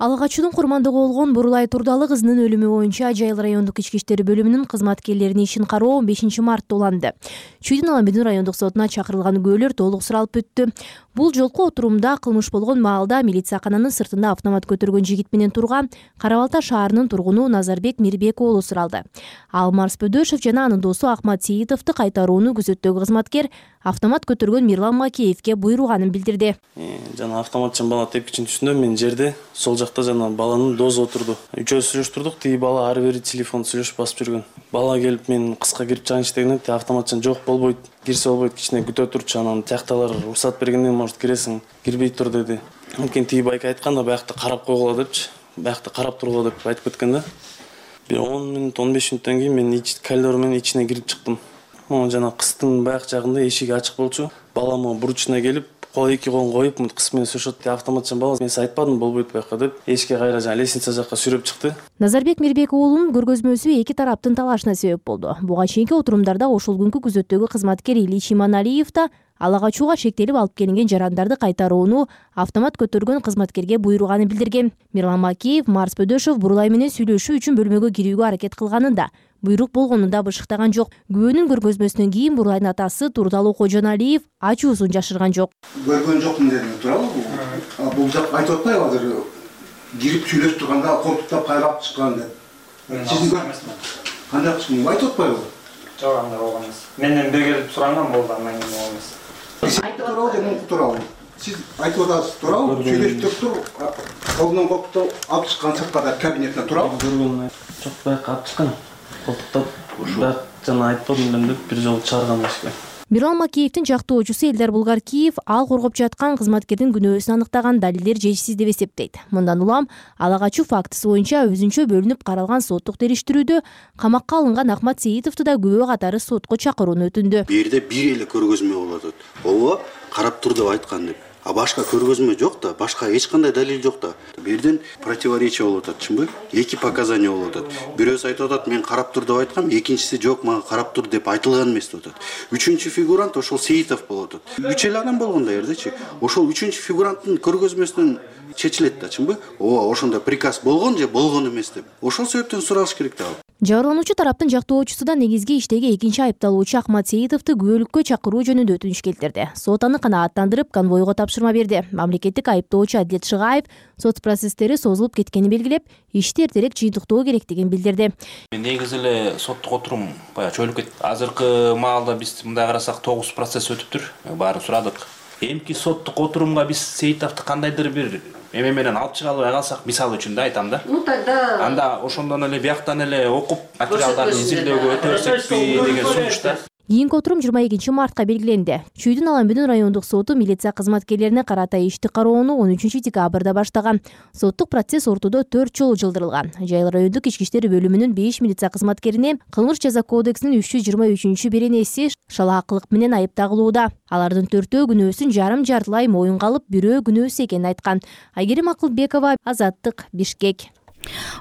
Ала качуунун курмандыгы болгон Бурулай Турдаалы кызынын өлүмү боюнча Жайыл райондук ички иштер бөлүмүнүн кызматкерлеринин ишин кароо он бешинчи мартта уланды. Чүйдүн Аламүдүн райондук сотуна чакырылган күбөлөр толук суралып бүттү. Бул жолку отурумда кылмыш болгон маалда милициякананын сыртында автомат көтөргөн жигит менен турган Кара Балта шаарынын тургуну Назарбек Мирбек уулу суралды. Ал Марс Бөдөшов жана анын досу Ахмат Сейитовду кайтарууну күзөттөгү кызматкер автомат көтөргөн Мирлан Макеевге буйруганын билдирди. Жана автоматчан бала тепкичин түшүндүм, мен жерде сол жакта жана баланын дозу отурду. Үчөөбүз сүйлөштүрдүк, тиги бала ары бери телефон сүйлөшүп басып жүргөн. Бала келип мен кыска кирип чыгайынчы дегенде ти автоматчан жок болбойт, кирсе болбойт, кичине күтө турчу, анан тиякталар уруксат бергенден может киресиң, кирбей тур деди. Анткени тиги байка айтканда баякта карап койгула депчи, баякта карап тургула деп айтып кеткен да. Бир он мүнөт он беш мүнөттөн кийин мен ич коридор менен ичине кирип чыктым. Могу жана кыстын баяк жагында эшиги ачык болчу. Бала могу бурчуна келип, кол эки колун коюп, мынтип кыс менен сүрөшөт. Автоматчан бала мен сиз айтпадым болбойт баякка деп, эшикке кайра жана лестница жакка сүрөп чыкты. Назарбек Мирбек уулунун көргөзмөсү эки тараптын талашына себеп болду. Буга чейинки отурумдарда ошол күнкү күзөттөгү кызматкер Ильич Иманалиев да ала качууга шектелип алып келинген жарандарды кайтарууну автомат көтөргөн кызматкерге буйруганын билдирген. Мирлан Макеев Марс Бөдөшов Бурулай менен сүйлөшүү үчүн бөлмөгө кирүүгө аракет кылганында буйрук болгонун да бышыктаган жок. Күбөнүн көргөзмөсүнөн кийин Бурулайдын атасы Турдаалы Кожоналиев ачуусун жашырган жок. Көргөн жокмун дедим, туурабы? Бул жак айтып атпайбы азыр кирип сүйлөшүп турганда колтуктап кайрап чыккан деп. Сиздин кандай кылчумун айтып атпайбы? Жок, андай болгон эмес. Менден бир келип суранган болду, андан кийин болгон эмес. Туурабы же мунку туурабы? Сиз айтып атасыз, туурабы? Сүйлөшүп туруп, колунан колтуктап алып чыккан сырткада кабинеттен туурабы? Көргөн жок, баякка алып чыккан. Колтуктап, бирок жана айтпадым деп бир жолу чыгарган эшикке. Мирлан Макеевдин жактоочусу Элдар Булгаркиев ал коргоп жаткан кызматкердин күнөөсүн аныктаган далилдер жетишсиз деп эсептейт. Мындан улам ала качуу фактысы боюнча өзүнчө бөлүнүп каралган соттук териштирүүдө камакка алынган Ахмат Сейитовду да күбө катары сотко чакырууну өтүндү. Бу жерде бир эле көргөзмө болот. Ооба, карап тур деп айткан деп. А башка көргөзмө жок да, башка эч кандай далил жок да. Бирден противоречие болуп атат, чынбы? Эки показания болуп атат. Бирөөсү айтып атат, мен карап тур деп айткам, экинчиси жок, мага карап тур деп айтылган эмес деп атат. Үчүнчү фигурант ошол Сейитов болуп атат. Үч эле адам болгон да жердечи. Ошол үчүнчү фигуранттын көргөзмөсүнөн чечилет да, чынбы? Ооба, ошондой приказ болгон же болгон эмес деп. Ошол себептен суралыш керек да. Жабырлануучу тараптын жактоочусу да негизги иштеги экинчи айыпталуучу Ахмат Сейитовду күбөлүккө чакыруу жөнүндө өтүнүч келтирди. Сот аны канааттандырып, конвойго тапшырма берди. Мамлекеттик айыптоочу Адилет Шыгаев сот процесстери созулуп кеткенин белгилеп, ишти эртерээк жыйынтыктоо керектигин билдирди. Негизи эле соттук отурум баягы чөйүлүп кетти. Азыркы маалда биз мындай карасак тогуз процесс өтүптүр. Баарын сурадык. Эмки соттук отурумга биз Сейитовду кандайдыр бир эме менен алып чыга албай калсак, мисалы үчүн да айтам да. Ну тогда анда ошондон эле бияктан эле окуп материалдарды изилдөөгө өтө берсекпи деген сунуш да. Кийинки отурум жыйырма экинчи мартка белгиленди. Чүйдүн Аламүдүн райондук соту милиция кызматкерлерине карата ишти кароону он үчүнчү декабрда баштаган. Соттук процесс ортодо төрт жолу жылдырылган. Жайыл райондук ички иштер бөлүмүнүн беш милиция кызматкерине кылмыш жаза кодексинин үч жүз жыйырма үчүнчү беренеси шалаакылык менен айып тагылууда. Алардын төртөө күнөөсүн жарым жартылай моюнга алып, бирөө күнөөсүз экенин айткан. Айгерим Акылбекова, Азаттык, Бишкек.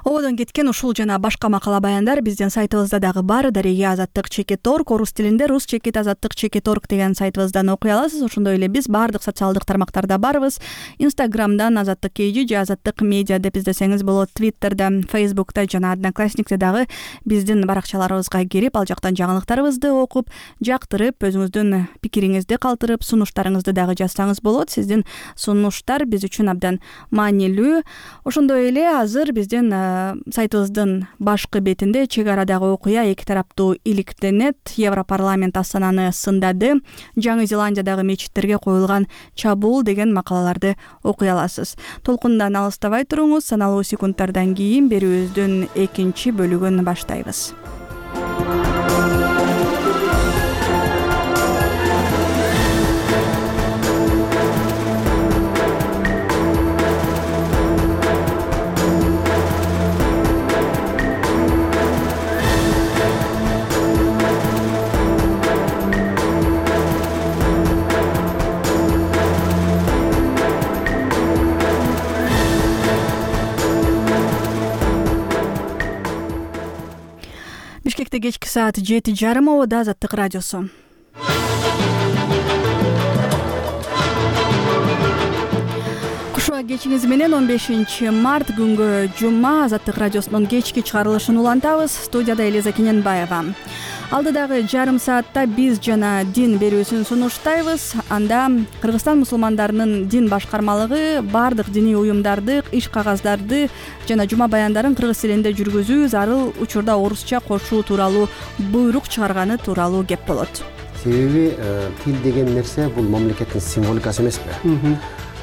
Ободон кеткен ушул жана башка макала баяндар биздин сайтыбызда дагы бар. Дареге азаттык чекит орг, орус тилинде рус чекит азаттык чекит орг деген сайтыбыздан окуй аласыз. Ошондой эле биз баардык социалдык тармактарда барбыз. Инстаграмдан азаттык kg же азаттык медиа деп издесеңиз болот. Твиттерде, Фейсбукта жана Одноклассникте дагы биздин баракчаларыбызга кирип, ал жактан жаңылыктарыбызды окуп, жактырып, өзүңүздүн пикириңизди калтырып, сунуштарыңызды дагы жазсаңыз болот. Сиздин сунуштар биз үчүн абдан маанилүү. Ошондой эле азыр биз биздин сайтыбыздын башкы бетинде чек арадагы окуя эки тараптуу иликтенет. Европарламент Астананы сындады. Жаңы Зеландиядагы мечиттерге коюлган чабуул деген макалаларды окуй аласыз. Толкундан алыстабай туруңуз. Саналуу секундтардан кийин берүүбүздүн экинчи бөлүгүн баштайбыз. Бишкекте кечки саат жети жарым абада Азаттык радиосу. Кушуа кечиңиз менен он бешинчи март күнгө жума Азаттык радиосунун кечки чыгарылышын улантабыз. Студияда Элиза Кененбаева. Алдыдагы жарым саатта биз жана дин берүүсүн сунуштайбыз. Анда Кыргызстан мусулмандарынын дин башкармалыгы бардык диний уюмдарды, иш кагаздарды жана жума баяндарын кыргыз тилинде жүргүзүү, зарыл учурда орусча кошуу тууралуу буйрук чыгарганы тууралуу кеп болот. Себеби тил деген нерсе бул мамлекеттин символикасы эмеспи?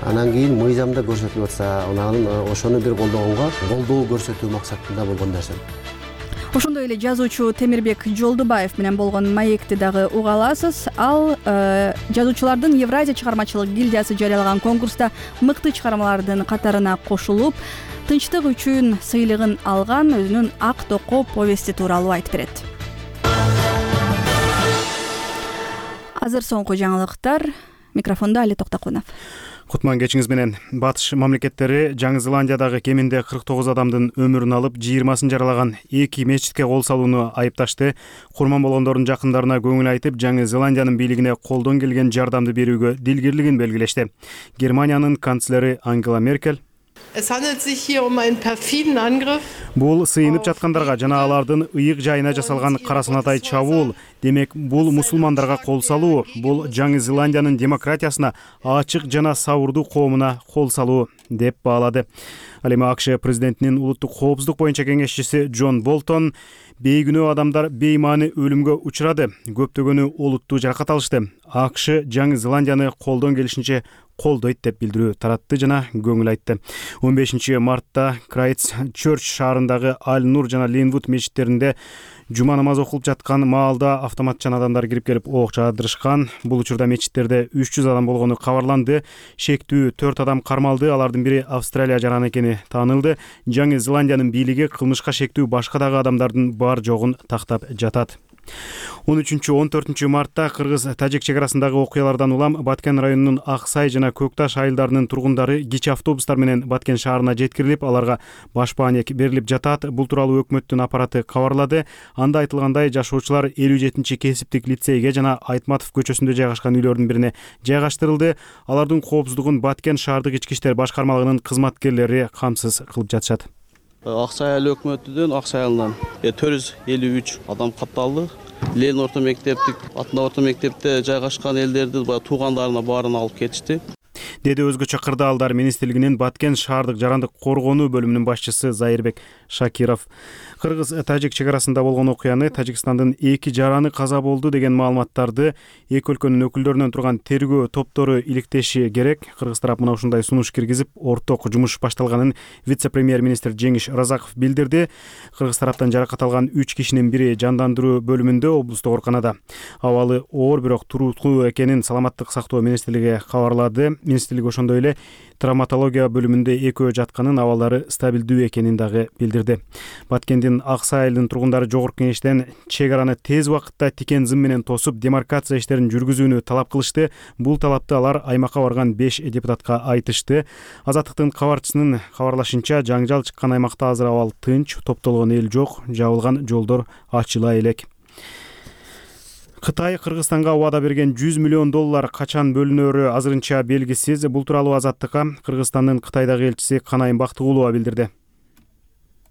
Анан кийин мыйзамда көрсөтүлүп атса, анан ошону бир колдогонго колдоо көрсөтүү максатында болгон нерсе. Ошондой эле жазуучу Темирбек Жолдубаев менен болгон маекти дагы уга аласыз. Ал э, жазуучулардын Евразия чыгармачылык гильдиясы жарыялаган конкурста мыкты чыгармалардын катарына кошулуп, тынчтык үчүн сыйлыгын алган өзүнүн Ак токо повести тууралуу айтып берет. Азыр соңку жаңылыктар. Микрофондо Али Токтокунов. Кутман кечиңиз менен. Батыш мамлекеттери Жаңы Зеландиядагы кеминде кырк тогуз адамдын өмүрүн алып, жыйырмасын жаралаган эки мечитке кол салууну айыпташты. Курман болгондордун жакындарына көңүл айтып, Жаңы Зеландиянын бийлигине колдон келген жардамды берүүгө дилгирлигин белгилешти. Германиянын канцлери Ангела Меркель Es handelt sich hier um einen perfiden Angriff. Бул сыйынып жаткандарга жана алардын ыйык жайына жасалган карасанатай чабуул. Демек, бул мусулмандарга кол салуу, бул Жаңы Зеландиянын демократиясына, ачык жана сабырдуу коомуна кол салуу деп баалады. Ал эми АКШ президентинин улуттук коопсуздук боюнча кеңешчиси Джон Болтон бейгүнөө адамдар беймани өлүмгө учурады, көптөгөнү олуттуу жаракат алышты. АКШ Жаңы Зеландияны колдон келишинче колдойт деп билдирүү таратты жана көңүл айтты. он бешинчи мартта Крайтс Чорч шаарындагы Аль Нур жана Линвуд мечиттеринде жума намаз окулуп жаткан маалда автоматчан адамдар кирип келип ок жаадырышкан. Бул учурда мечиттерде үч жүз адам болгону кабарланды. Шектүү төрт адам кармалды. Алардын бири Австралия жараны экени таанылды. Жаңы Зеландиянын бийлиги кылмышка шектүү башка дагы адамдардын бар жогун тактап жатат. он үчүнчү он төртүнчү мартта Кыргыз-Тажик чек арасындагы окуялардан улам Баткен районунун Ак Сай жана Көк Таш айылдарынын тургундары кичи автобустар менен Баткен шаарына жеткирилип, аларга баш баанек берилип жатат. Бул тууралуу өкмөттүн аппараты кабарлады. Анда айтылгандай, жашоочулар элүү жетинчи кесиптик лицейге жана Айтматов көчөсүндө жайгашкан үйлөрдүн бирине жайгаштырылды. Алардын коопсуздугун Баткен шаардык ички иштер башкармалыгынын кызматкерлери камсыз кылып жатышат. Ак Сай айыл өкмөтүнөн Ак Сай айылынан төрт жүз элүү үч адам катталды. Ленин орто мектептик, Атына орто мектепте жайгашкан элдерди туугандарына баарын алып кетишти. Деди өзгөчө кырдаалдар министрлигинин Баткен шаардык жарандык коргонуу бөлүмүнүн башчысы Зайырбек Шакиров. Кыргыз-Тажик чек арасында болгон окуяны, Тажикстандын эки жараны каза болду деген маалыматтарды эки өлкөнүн өкүлдөрүнөн турган тергөө топтору иликтеши керек. Кыргыз тарап мына ушундай сунуш киргизип, орток жумуш башталганын вице-премьер-министр Жеңиш Разаков билдирди. Кыргыз тараптан жаракат алган үч кишинин бири жандандыруу бөлүмүндө, облустук ооруканада. Абалы оор, бирок туруктуу экенин Саламаттык сактоо министрлиги кабарлады. Министрлик ошондой эле травматология бөлүмүндө экөө жатканын, абалдары стабилдүү экенин дагы билдирди. Баткендин Ак Сай айылынын тургундары жогорку кеңештен чек араны тез убакытта тикен зым менен тосуп, демаркация иштерин жүргүзүүнү талап кылышты. Бул талапты алар аймакка барган беш депутатка айтышты. Азаттыктын кабарчысынын кабарлашынча, жаңжал чыккан аймакта азыр абал тынч, топтолгон эл жок, жабылган жолдор ачыла элек. Кытай Кыргызстанга убада берген жүз миллион доллар качан бөлүнөрү азырынча белгисиз. Бул тууралуу Азаттыкка Кыргызстандын Кытайдагы элчиси Канайым Бактыгулова билдирди.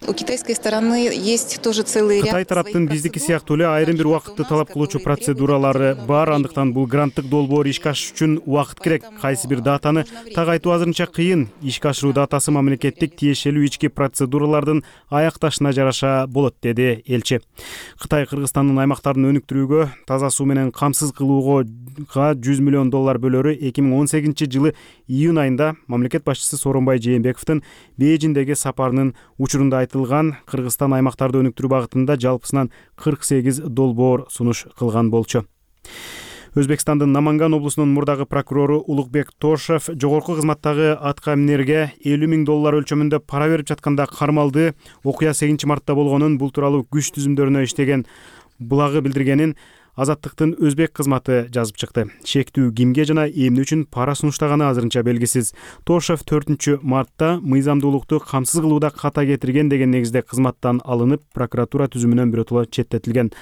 У китайской стороны есть тоже целый ряд. Кытай тараптын биздики сыяктуу эле айрым бир убакытты талап кылуучу процедуралары бар, андыктан бул гранттык долбоор ишке ашыш үчүн убакыт керек. Кайсы бир датаны так айтуу азырынча кыйын. Ишке ашыруу датасы мамлекеттик тиешелүү ички процедуралардын аякташына жараша болот, деди элчи. Кытай Кыргызстандын аймактарын өнүктүрүүгө, таза суу менен камсыз кылууга жүз миллион доллар бөлөрү эки миң он сегизинчи жылы июнь айында мамлекет башчысы Сооронбай Жээнбековдун Бейжиңдеги сапарынын учурунда айтылган Кыргызстан аймактарды өнүктүрүү багытында жалпысынан кырк сегиз долбоор сунуш кылган болчу. Өзбекстандын Наманган облусунун мурдагы прокурору Улукбек Тошев жогорку кызматтагы атка минерге элүү миң доллар өлчөмүндө пара берип жатканда кармалды. Окуя сегизинчи мартта болгонун, бул тууралуу күч түзүмдөрүнө иштеген булагы билдиргенин Азаттыктын өзбек кызматы жазып чыкты. Шектүү кимге жана эмне үчүн пара сунуштаганы азырынча белгисиз. Тошев төртүнчү мартта мыйзамдуулукту камсыз кылууда ката кетирген деген негизде кызматтан алынып, прокуратура түзүмүнөн биротоло четтетилген.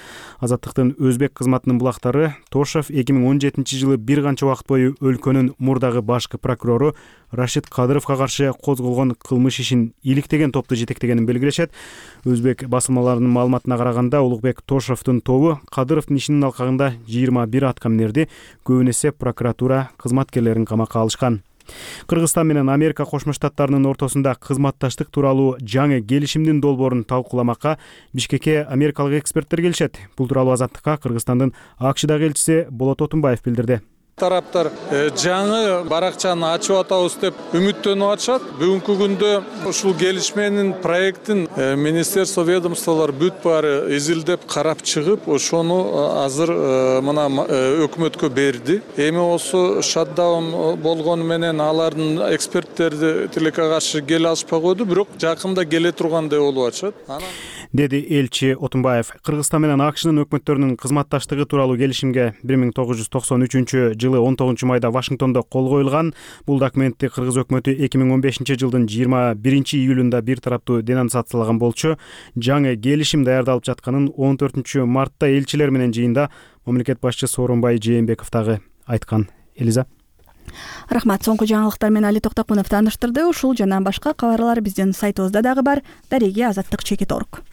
Азаттыктын өзбек кызматынын булактары Тошев эки миң он жетинчи жылы бир канча убакыт бою өлкөнүн мурдагы башкы прокурору Рашид Кадыровго каршы козголгон кылмыш ишин иликтеген топту жетектегенин белгилешет. Өзбек басылмаларынын маалыматына караганда, Улукбек Тошевдун тобу Кадыровдун ишинин алкагында жыйырма бир атка минерди, көбүн эсе прокуратура кызматкерлерин камакка алышкан. Кыргызстан менен Америка Кошмо Штаттарынын ортосунда кызматташтык тууралуу жаңы келишимдин долбоорун талкууламакка Бишкекке америкалык эксперттер келишет. Бул тууралуу Азаттыкка Кыргызстандын АКШдагы элчиси Болот Отунбаев билдирди. Тараптар жаңы баракчаны ачып атабыз деп үмүттөнүп атышат. Бүгүнкү күндө ушул келишменин проектин министерство ведомстволор бүт баары изилдеп карап чыгып, ошону азыр мына өкмөткө берди. Эми осы шатдаун болгону менен алардын эксперттерди тилекке каршы келе алышпай койду, бирок жакында келе тургандай болуп атышат. Деди элчи Отунбаев. Кыргызстан менен АКШнын өкмөттөрүнүн кызматташтыгы тууралуу келишимге бир миң тогуз жүз токсон үчүнчү жылы он тогузунчу майда Вашингтондо кол коюлган. Бул документти Кыргыз өкмөтү эки миң он бешинчи жылдын жыйырма биринчи июлунда бир тараптуу денонсациялаган болчу. Жаңы келишим даярдалып жатканын он төртүнчү мартта элчилер менен жыйында мамлекет башчысы Сооронбай Жээнбеков дагы айткан. Элиза. Рахмат. Соңку жаңылыктар менен Али Токтокунов тааныштырды. Ушул жана башка кабарлар биздин сайтыбызда дагы бар. Дареги азаттык чекит точка орг.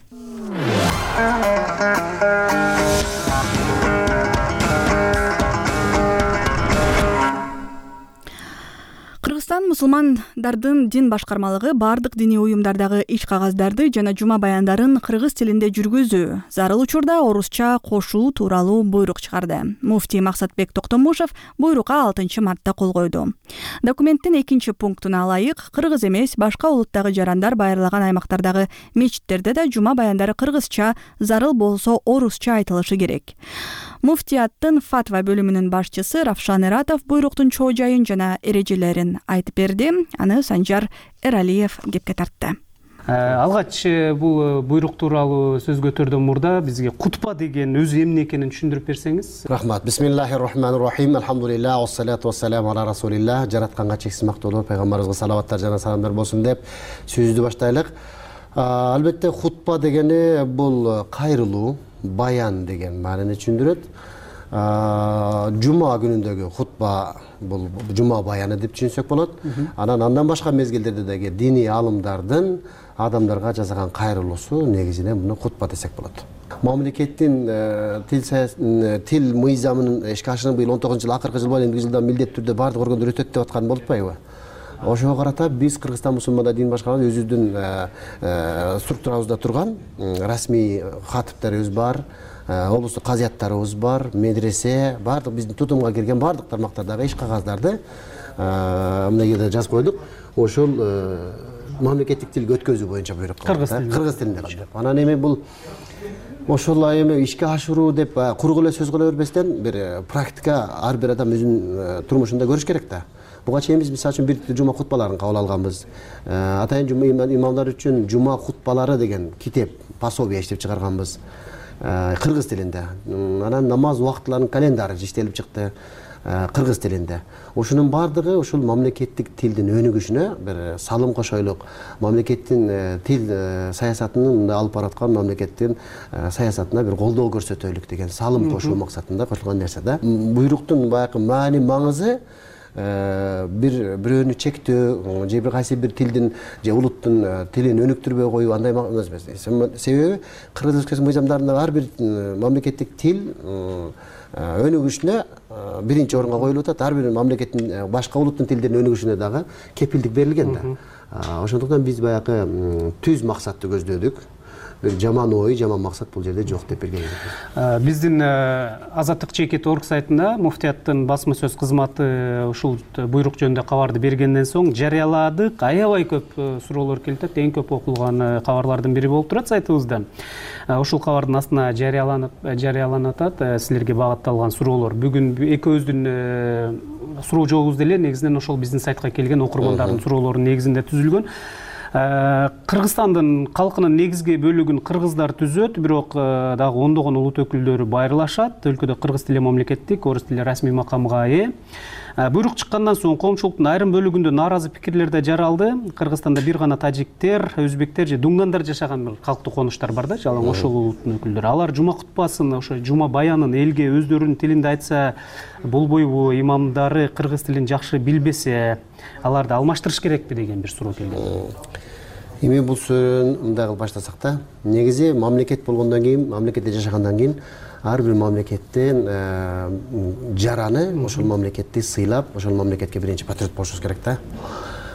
Кыргызстан мусулмандардын дин башкармалыгы бардык диний уюмдардагы иш кагаздарды жана жума баяндарын кыргыз тилинде жүргүзүү, зарыл учурда орусча кошуу тууралуу буйрук чыгарды. Муфтий Максатбек Токтомушев буйрукка алтынчы мартта кол койду. Документтин экинчи пунктуна ылайык, кыргыз эмес башка улуттагы жарандар байырлаган аймактардагы мечиттерде да жума баяндары кыргызча, зарыл болсо орусча айтылышы керек. Муфтияттын фатва бөлүмүнүн башчысы Равшан Эратов буйруктун чоо жайын жана эрежелерин айтып берди. Аны Санжар Эралиев кепке тартты. Алгач бул буйрук тууралуу сөз көтөрдөн мурда бизге кутба деген өзү эмне экенин түшүндүрүп берсеңиз. Рахмат. Бисмиллахир рахманир рахим. Алхамдулилlah, вассалату вассаламу ала расулилlah. Жаратканга чексиз мактоолор, пайгамбарыбызга салаваттар жана саламдар болсун деп сөздү баштайлык. Албетте хутба дегени бул кайрылуу, баян деген маанини түшүндүрөт. Жума күнүндөгү хутба бул жума баяны деп түшүнсөк болот. Анан андан башка мезгилдерде дагы диний аалымдардын адамдарга жасаган кайрылуусу негизинен муну хутба десек болот. Мамлекеттин тил тил мыйзамынын ишке ашырууну быйыл он тогузунчу жыл акыркы жыл боюнча эми жылдан милдеттүү түрдө бардык органдар өтөт деп аткан болуп атпайбы? Ошого карата биз Кыргызстан мусулмандар дин башкармалыгы өзүбүздүн структурабызда турган расмий катыптарыбыз бар, облустук казыяттарыбыз бар, медресе, бардык биздин тутумга кирген бардык тармактардагы иш кагаздарды мына жерде жазып койдук. Ошол мамлекеттик тилге өткөзүү боюнча буйрук кылдык. Кыргыз тилинде кылдык. Анан эми бул ошол эми ишке ашыруу деп куру эле сөз кыла бербестен бир практика ар бир адам өзүнүн турмушунда көрүш керек да. Буга чейин биз мисалы үчүн бир жума хутбаларын кабыл алганбыз. Атайын жума имамдар үчүн жума хутбалары деген китеп, пособие иштеп чыгарганбыз кыргыз тилинде. Анан намаз убактыларынын календары иштелип чыкты кыргыз тилинде. Ошонун бардыгы ушул мамлекеттик тилдин өнүгүшүнө бир салым кошойлук, мамлекеттин тил саясатынын алып бараткан мамлекеттин саясатына бир колдоо көрсөтөлүк деген салым кошуу максатында кошулган нерсе да. Буйруктун баягы маани маңызы бир бирөөнү чектөө же бир кайсы бир тилдин же улуттун тилин өнүктүрбөй коюу андай эмес. Себеби Кыргыз Республикасынын мыйзамдарында ар бир мамлекеттик тил өнүгүшүнө биринчи орунга коюлуп атат. Ар бир мамлекеттин башка улуттун тилдеринин өнүгүшүнө дагы кепилдик берилген да. Ошондуктан биз баягы түз максатты көздөдүк. Бир жаман ой, жаман максат бул жерде жок деп берген элек. Биздин Азаттык чекит орг сайтында муфтияттын басма сөз кызматы ушул буйрук жөнүндө кабарды бергенден соң жарыяладык. Аябай көп суроолор келип атат. Эң көп окулган кабарлардын бири болуп турат сайтыбызда. Ушул кабардын астына жарыяланып жарыяланып атат силерге багытталган суроолор. Бүгүн экөөбүздүн суроо жообуз деле негизинен ошол биздин сайтка келген окурмандардын суроолорунун негизинде түзүлгөн. Кыргызстандын калкынын негизги бөлүгүн кыргыздар түзөт, бирок дагы ондогон улут өкүлдөрү байырлашат. Өлкөдө кыргыз тили мамлекеттик, орус тили расмий макамга ээ. Буйрук чыккандан соң коомчулуктун айрым бөлүгүндө нааразы пикирлер да жаралды. Кыргызстанда бир гана тажиктер, өзбектер же дуңгандар жашаган бир калктуу конуштар бар да, жалаң ошол улуттун өкүлдөрү. Алар жума кутбасын, ошо жума баянын элге өздөрүнүн тилинде айтса болбойбу, имамдары кыргыз тилин жакшы билбесе, аларды алмаштырыш керекпи деген бир суроо келген. Эми бул сөөрөнү мындай кылып баштасак да, негизи мамлекет болгондон кийин, мамлекетте жашагандан кийин ар бир мамлекеттен жараны ошол мамлекетти сыйлап, ошол мамлекетке биринчи патриот болушубуз керек да.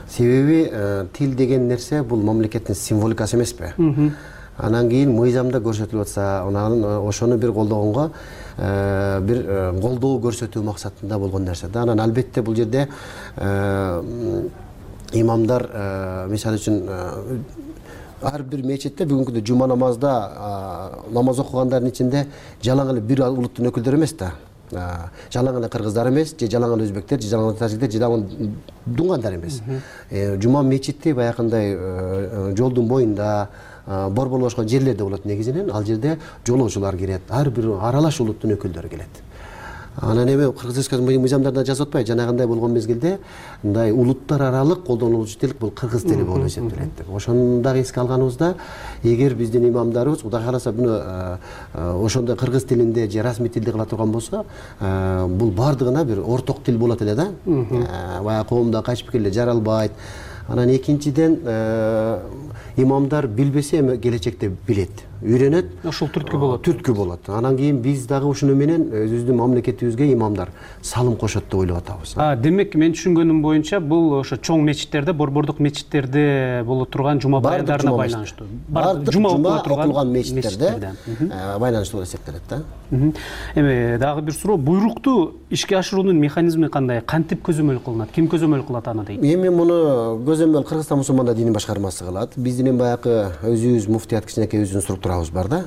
Себеби тил деген нерсе бул мамлекеттин символикасы эмеспи? Анан кийин мыйзамда көрсөтүлүп атса, анан ошону бир колдогонго бир колдоо көрсөтүү максатында болгон нерсе да. Анан албетте бул жерде имамдар, мисалы үчүн, ар бир мечитте бүгүнкү күндө жума намазда намаз окугандардын ичинде жалаң эле бир улуттун өкүлдөрү эмес да. Жалаң эле кыргыздар эмес, же жалаң эле өзбектер, же жалаң эле тажиктер, же жалаң дуңгандар эмес. Жума мечити баягындай жолдун боюнда, борбор бошкон жерлерде болот негизинен. Ал жерде жолоочулар келет, ар бир аралаш улуттун өкүлдөрү келет. Анан эми Кыргыз Республикасынын мыйзамдарында жазып атпайбы, жанагындай болгон мезгилде мындай улуттар аралык колдонулуучу тил бул кыргыз тили болуп эсептелет деп. Ошону дагы эске алганыбызда, эгер биздин имамдарыбыз Кудай кааласа буну ошондой кыргыз тилинде же расмий тилде кыла турган болсо, бул бардыгына бир орток тил болот эле да. Баягы коомдо кайшы пикирлер жаралбайт. Анан экинчиден имамдар билбесе эми келечекте билет, үйрөнөт. Ошол түрткү болот. Түрткү болот. Анан кийин биз дагы ушуну менен өзүбүздүн мамлекетибизге имамдар салым кошот деп ойлоп атабыз. А, демек мен түшүнгөнүм боюнча бул ошо чоң мечиттерде, борбордук мечиттерде болуп турган жума баяндарына байланыштуу. Жума окулган мечиттерде байланыштуу болуп эсептелет да. Эми дагы бир суроо, буйрукту ишке ашыруунун механизми кандай? Кантип көзөмөл кылынат? Ким көзөмөл кылат аны дейт? Эми муну көзөмөл Кыргызстан мусулмандар дини башкармасы кылат. Биздин баягы өзүбүз муфтият кичинекей өзүнүн структурабыз бар да.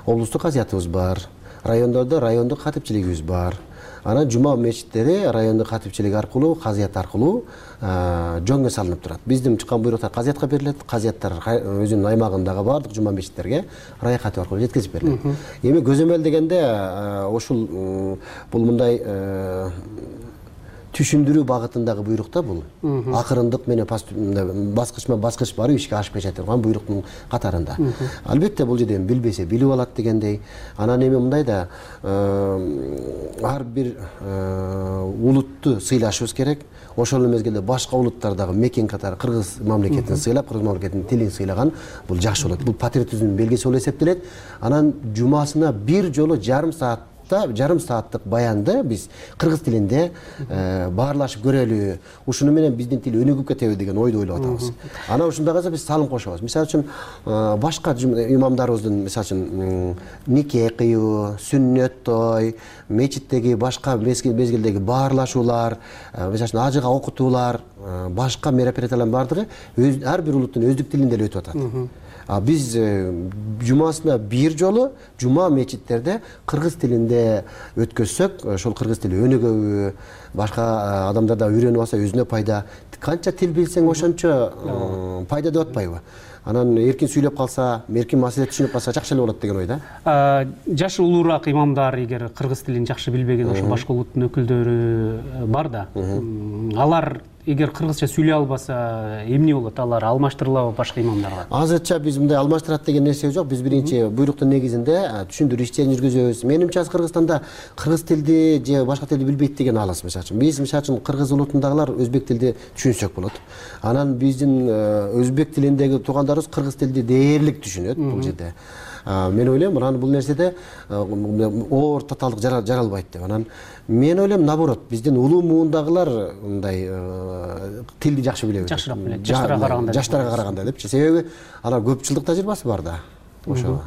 Облустук казиятыбыз бар. Райондордо райондук катипчилигибиз бар. Анан жума мечиттери райондук катипчилик аркылуу, казият аркылуу жөнгө салынып турат. Биздин чыккан буйруктар казиятка берилет. Казияттар өзүнүн аймагындагы бардык жума мечиттерге рай катып аркылуу жеткизип берилет. Эми көзөмөл дегенде ушул бул мындай түшүндүрүү багытындагы буйрук да бул. Акырындык менен баскычма баскыч барып ишке ашып кете турган буйруктун катарында. Албетте бул жерден билбесе билип алат дегендей. Анан эми мындай да ар бир улутту сыйлашыбыз керек. Ошол мезгилде башка улуттардагы мекен катары кыргыз мамлекетин сыйлап, кыргыз мамлекетинин тилин сыйлаган бул жакшы болот. Бул патриотизмдин белгиси болуп эсептелет. Анан жумасына бир жолу жарым саат жарым сааттык баянды биз кыргыз тилинде баарлашып көрөлү. Ушуну менен биздин тил өнүгүп кетеби деген ойду ойлоп атабыз. Анан ушундайга биз салым кошобуз. Мисалы үчүн башка имамдарыбыздын мисалы үчүн нике кыюу, сүннөт той, мечиттеги башка мезгилдеги баарлашуулар, мисалы үчүн ажыга окутуулар, башка мероприятиялардын бардыгы ар бир улуттун өздүк тилинде эле өтүп атат. Биз жумасына бир жолу жума мечиттерде кыргыз тилинде өткөзсөк, ошол кыргыз тили өнүгөбү, башка адамдар да үйрөнүп алса өзүнө пайда. Канча тил билсең ошончо пайда деп атпайбы? Анан эркин сүйлөп калса, эркин маселе түшүнүп калса жакшы эле болот деген ой да. Жашы улуураак имамдар эгер кыргыз тилин жакшы билбеген ошо башка улуттун өкүлдөрү бар да. Алар эгер кыргызча сүйлөй албаса эмне болот? Алар алмаштырылабы башка имамдарга? Азырча биз мындай алмаштырат деген нерсе жок. Биз биринчи буйруктун негизинде түшүндүрүү иштерин жүргүзөбүз. Менимче Кыргызстанда кыргыз тилди же башка тилди билбейт деген алыс. Мисалы үчүн биз мисалы үчүн кыргыз улутундагылар өзбек тилди түшүнсөк болот. Анан биздин өзбек тилиндеги туугандарыбыз кыргыз тилди дээрлик түшүнөт бул жерде. Мен ойлойм, анан бул нерседе оор татаалдык жаралбайт деп. Анан мен ойлойм, наоборот, биздин улуу муундагылар мындай тилди жакшы билет. Жакшыраак билет. Жаштарга караганда. Жаштарга караганда депчи. Себеби алар көп жылдык тажрыйбасы бар да. Ошо.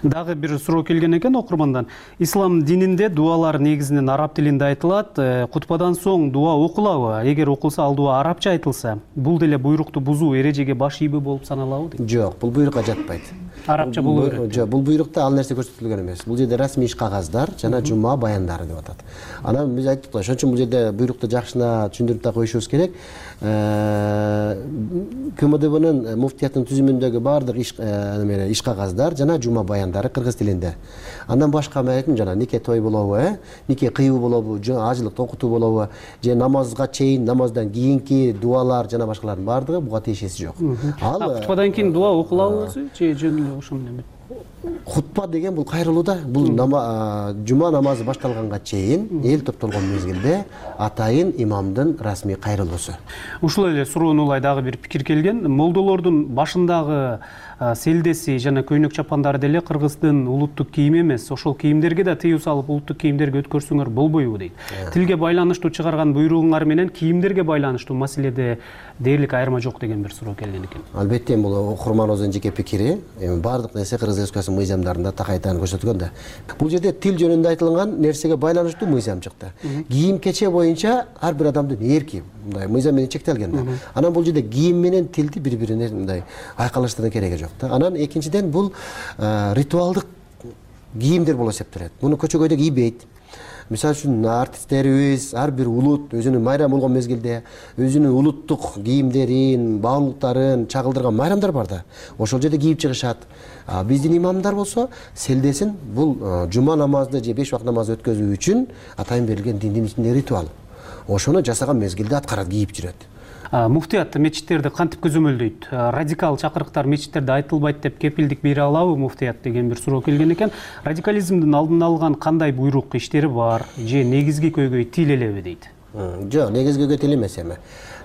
Дагы бир суроо келген экен окурмандан. Ислам дининде дуалар негизинен араб тилинде айтылат. Кутбадан соң дуа окулабы? Эгер окулса, ал дуа арабча айтылса, бул деле буйрукту бузуу эрежеге баш ийби болуп саналабы дейт? Жок, бул буйрукка жатпайт. Арабча болуу керек. Жок, бул буйрукта ал нерсе көрсөтүлгөн эмес. Бул жерде расмий иш кагаздар жана жума баяндары деп атат. Анан биз айттык да, ошон үчүн бул жерде буйрукту жакшына түшүндүрүп да коюшубуз керек. КМДБнын муфтияттын түзүмүндөгү баардык иш неме иш кагаздар жана жума баяндары кыргыз тилинде. Андан башка мен айттым жана нике той болобу, э? Нике кыйуу болобу, ажылыкты окутуу болобу, же намазга чейин, намаздан кийинки дуалар жана башкалардын баардыгы буга тиешеси жок. Ал кутбадан кийин дуа окулабы өзү же жөн эле ошол менен? Хутба деген бул кайрылуу да. Бул жума намазы башталганга чейин эл топтолгон мезгилде атайын имамдын расмий кайрылуусу. Ушул эле суроону улай дагы бир пикир келген. Молдолордун башындагы селдеси жана көйнөк чапандары деле кыргыздын улуттук кийими эмес. Ошол кийимдерге да тыюу салып, улуттук кийимдерге өткөрсөңөр болбойбу дейт. Тилге байланыштуу чыгарган буйругуңар менен кийимдерге байланыштуу маселеде дээрлик айырма жок деген бир суроо келген экен. Албетте, бул окурманыбыздын жеке пикири. Эми баардык нерсе кыргыз республикасынын мыйзамдарында такайтан көрсөтүлгөн да. Бул жерде тил жөнүндө айтылган нерсеге байланыштуу мыйзам чыкты. Кийим кече боюнча ар бир адамдын эрки мындай мыйзам менен чектелген да. Анан бул жерде кийим менен тилди бири-бирине мындай айкалыштырдын кереги жок да. Анан экинчиден бул ритуалдык кийимдер болуп эсептелет. Муну көчөгөйдө кийбейт. Мисалы үчүн артисттерибиз ар бир улут өзүнүн майрам болгон мезгилде өзүнүн улуттук кийимдерин, баалуулуктарын чагылдырган майрамдар бар да. Ошол жерде кийип чыгышат. Биздин имамдар болсо селдесин бул жума намазды же беш убакыт намазды өткөзүү үчүн атайын берилген диндин ичинде ритуал. Ошону жасаган мезгилде аткарат, кийип жүрөт. Муфтият мечиттерди кантип көзөмөлдөйт? Радикал чакырыктар мечиттерде айтылбайт деп кепилдик бере алабы муфтият деген бир суроо келген экен. Радикализмдин алдын алган кандай буйрук иштери бар же негизги көйгөй тил элеби дейт? Жок, негизги көйгөй тил эмес эми.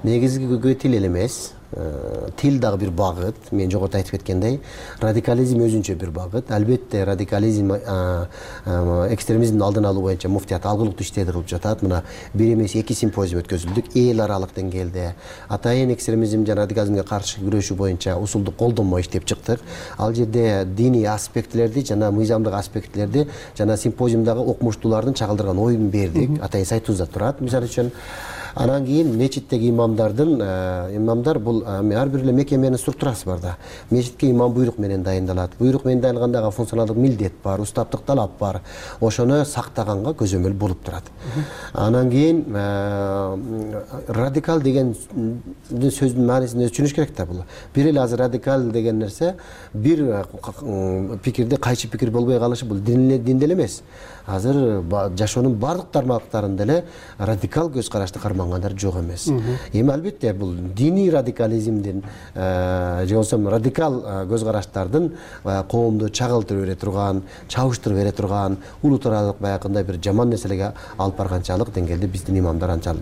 Негизги көйгөй тил эле эмес. Тил дагы бир багыт. Мен жогоруда айтып кеткендей, радикализм өзүнчө бир багыт. Албетте радикализм, экстремизмдин алдын алуу боюнча муфтият алгылыктуу иштерди кылып жатат. Мына бир эмес эки симпозиум өткөзүлдүк эл аралык деңгээлде. Атайын экстремизм жана радикализмге каршы күрөшүү боюнча усулдук колдонмо иштеп чыктык. Ал жерде диний аспектлерди жана мыйзамдык аспектлерди жана симпозиумдагы окумуштуулардын чагылдырган оюн бердик. Атайын сайтыбызда турат. Мисалы үчүн анан кийин мечиттеги имамдардын имамдар бул ар бир эле мекеменин структурасы бар да. Мечитке имам буйрук менен дайындалат. Буйрук менен дайындалгандагы функционалдык милдет бар, устаптык талап бар. Ошону сактаганга көзөмөл болуп турат. Анан кийин радикал деген сөздүн маанисин түшүнүш керек да бул. Бир эле азыр радикал деген нерсе бир пикирде кайчы пикир болбой калышы бул динде эле эмес. Азыр жашоонун бардык тармактарында эле радикал көз карашты кармангандар жок эмес. Эми албетте бул диний радикализмдин же болбосо радикал көз караштардын коомду чагылтырып бере турган, чабыштырып бере турган, улут аралык баягындай бир жаман нерселерге алып барганчалык деңгээлде биздин имамдар анчалык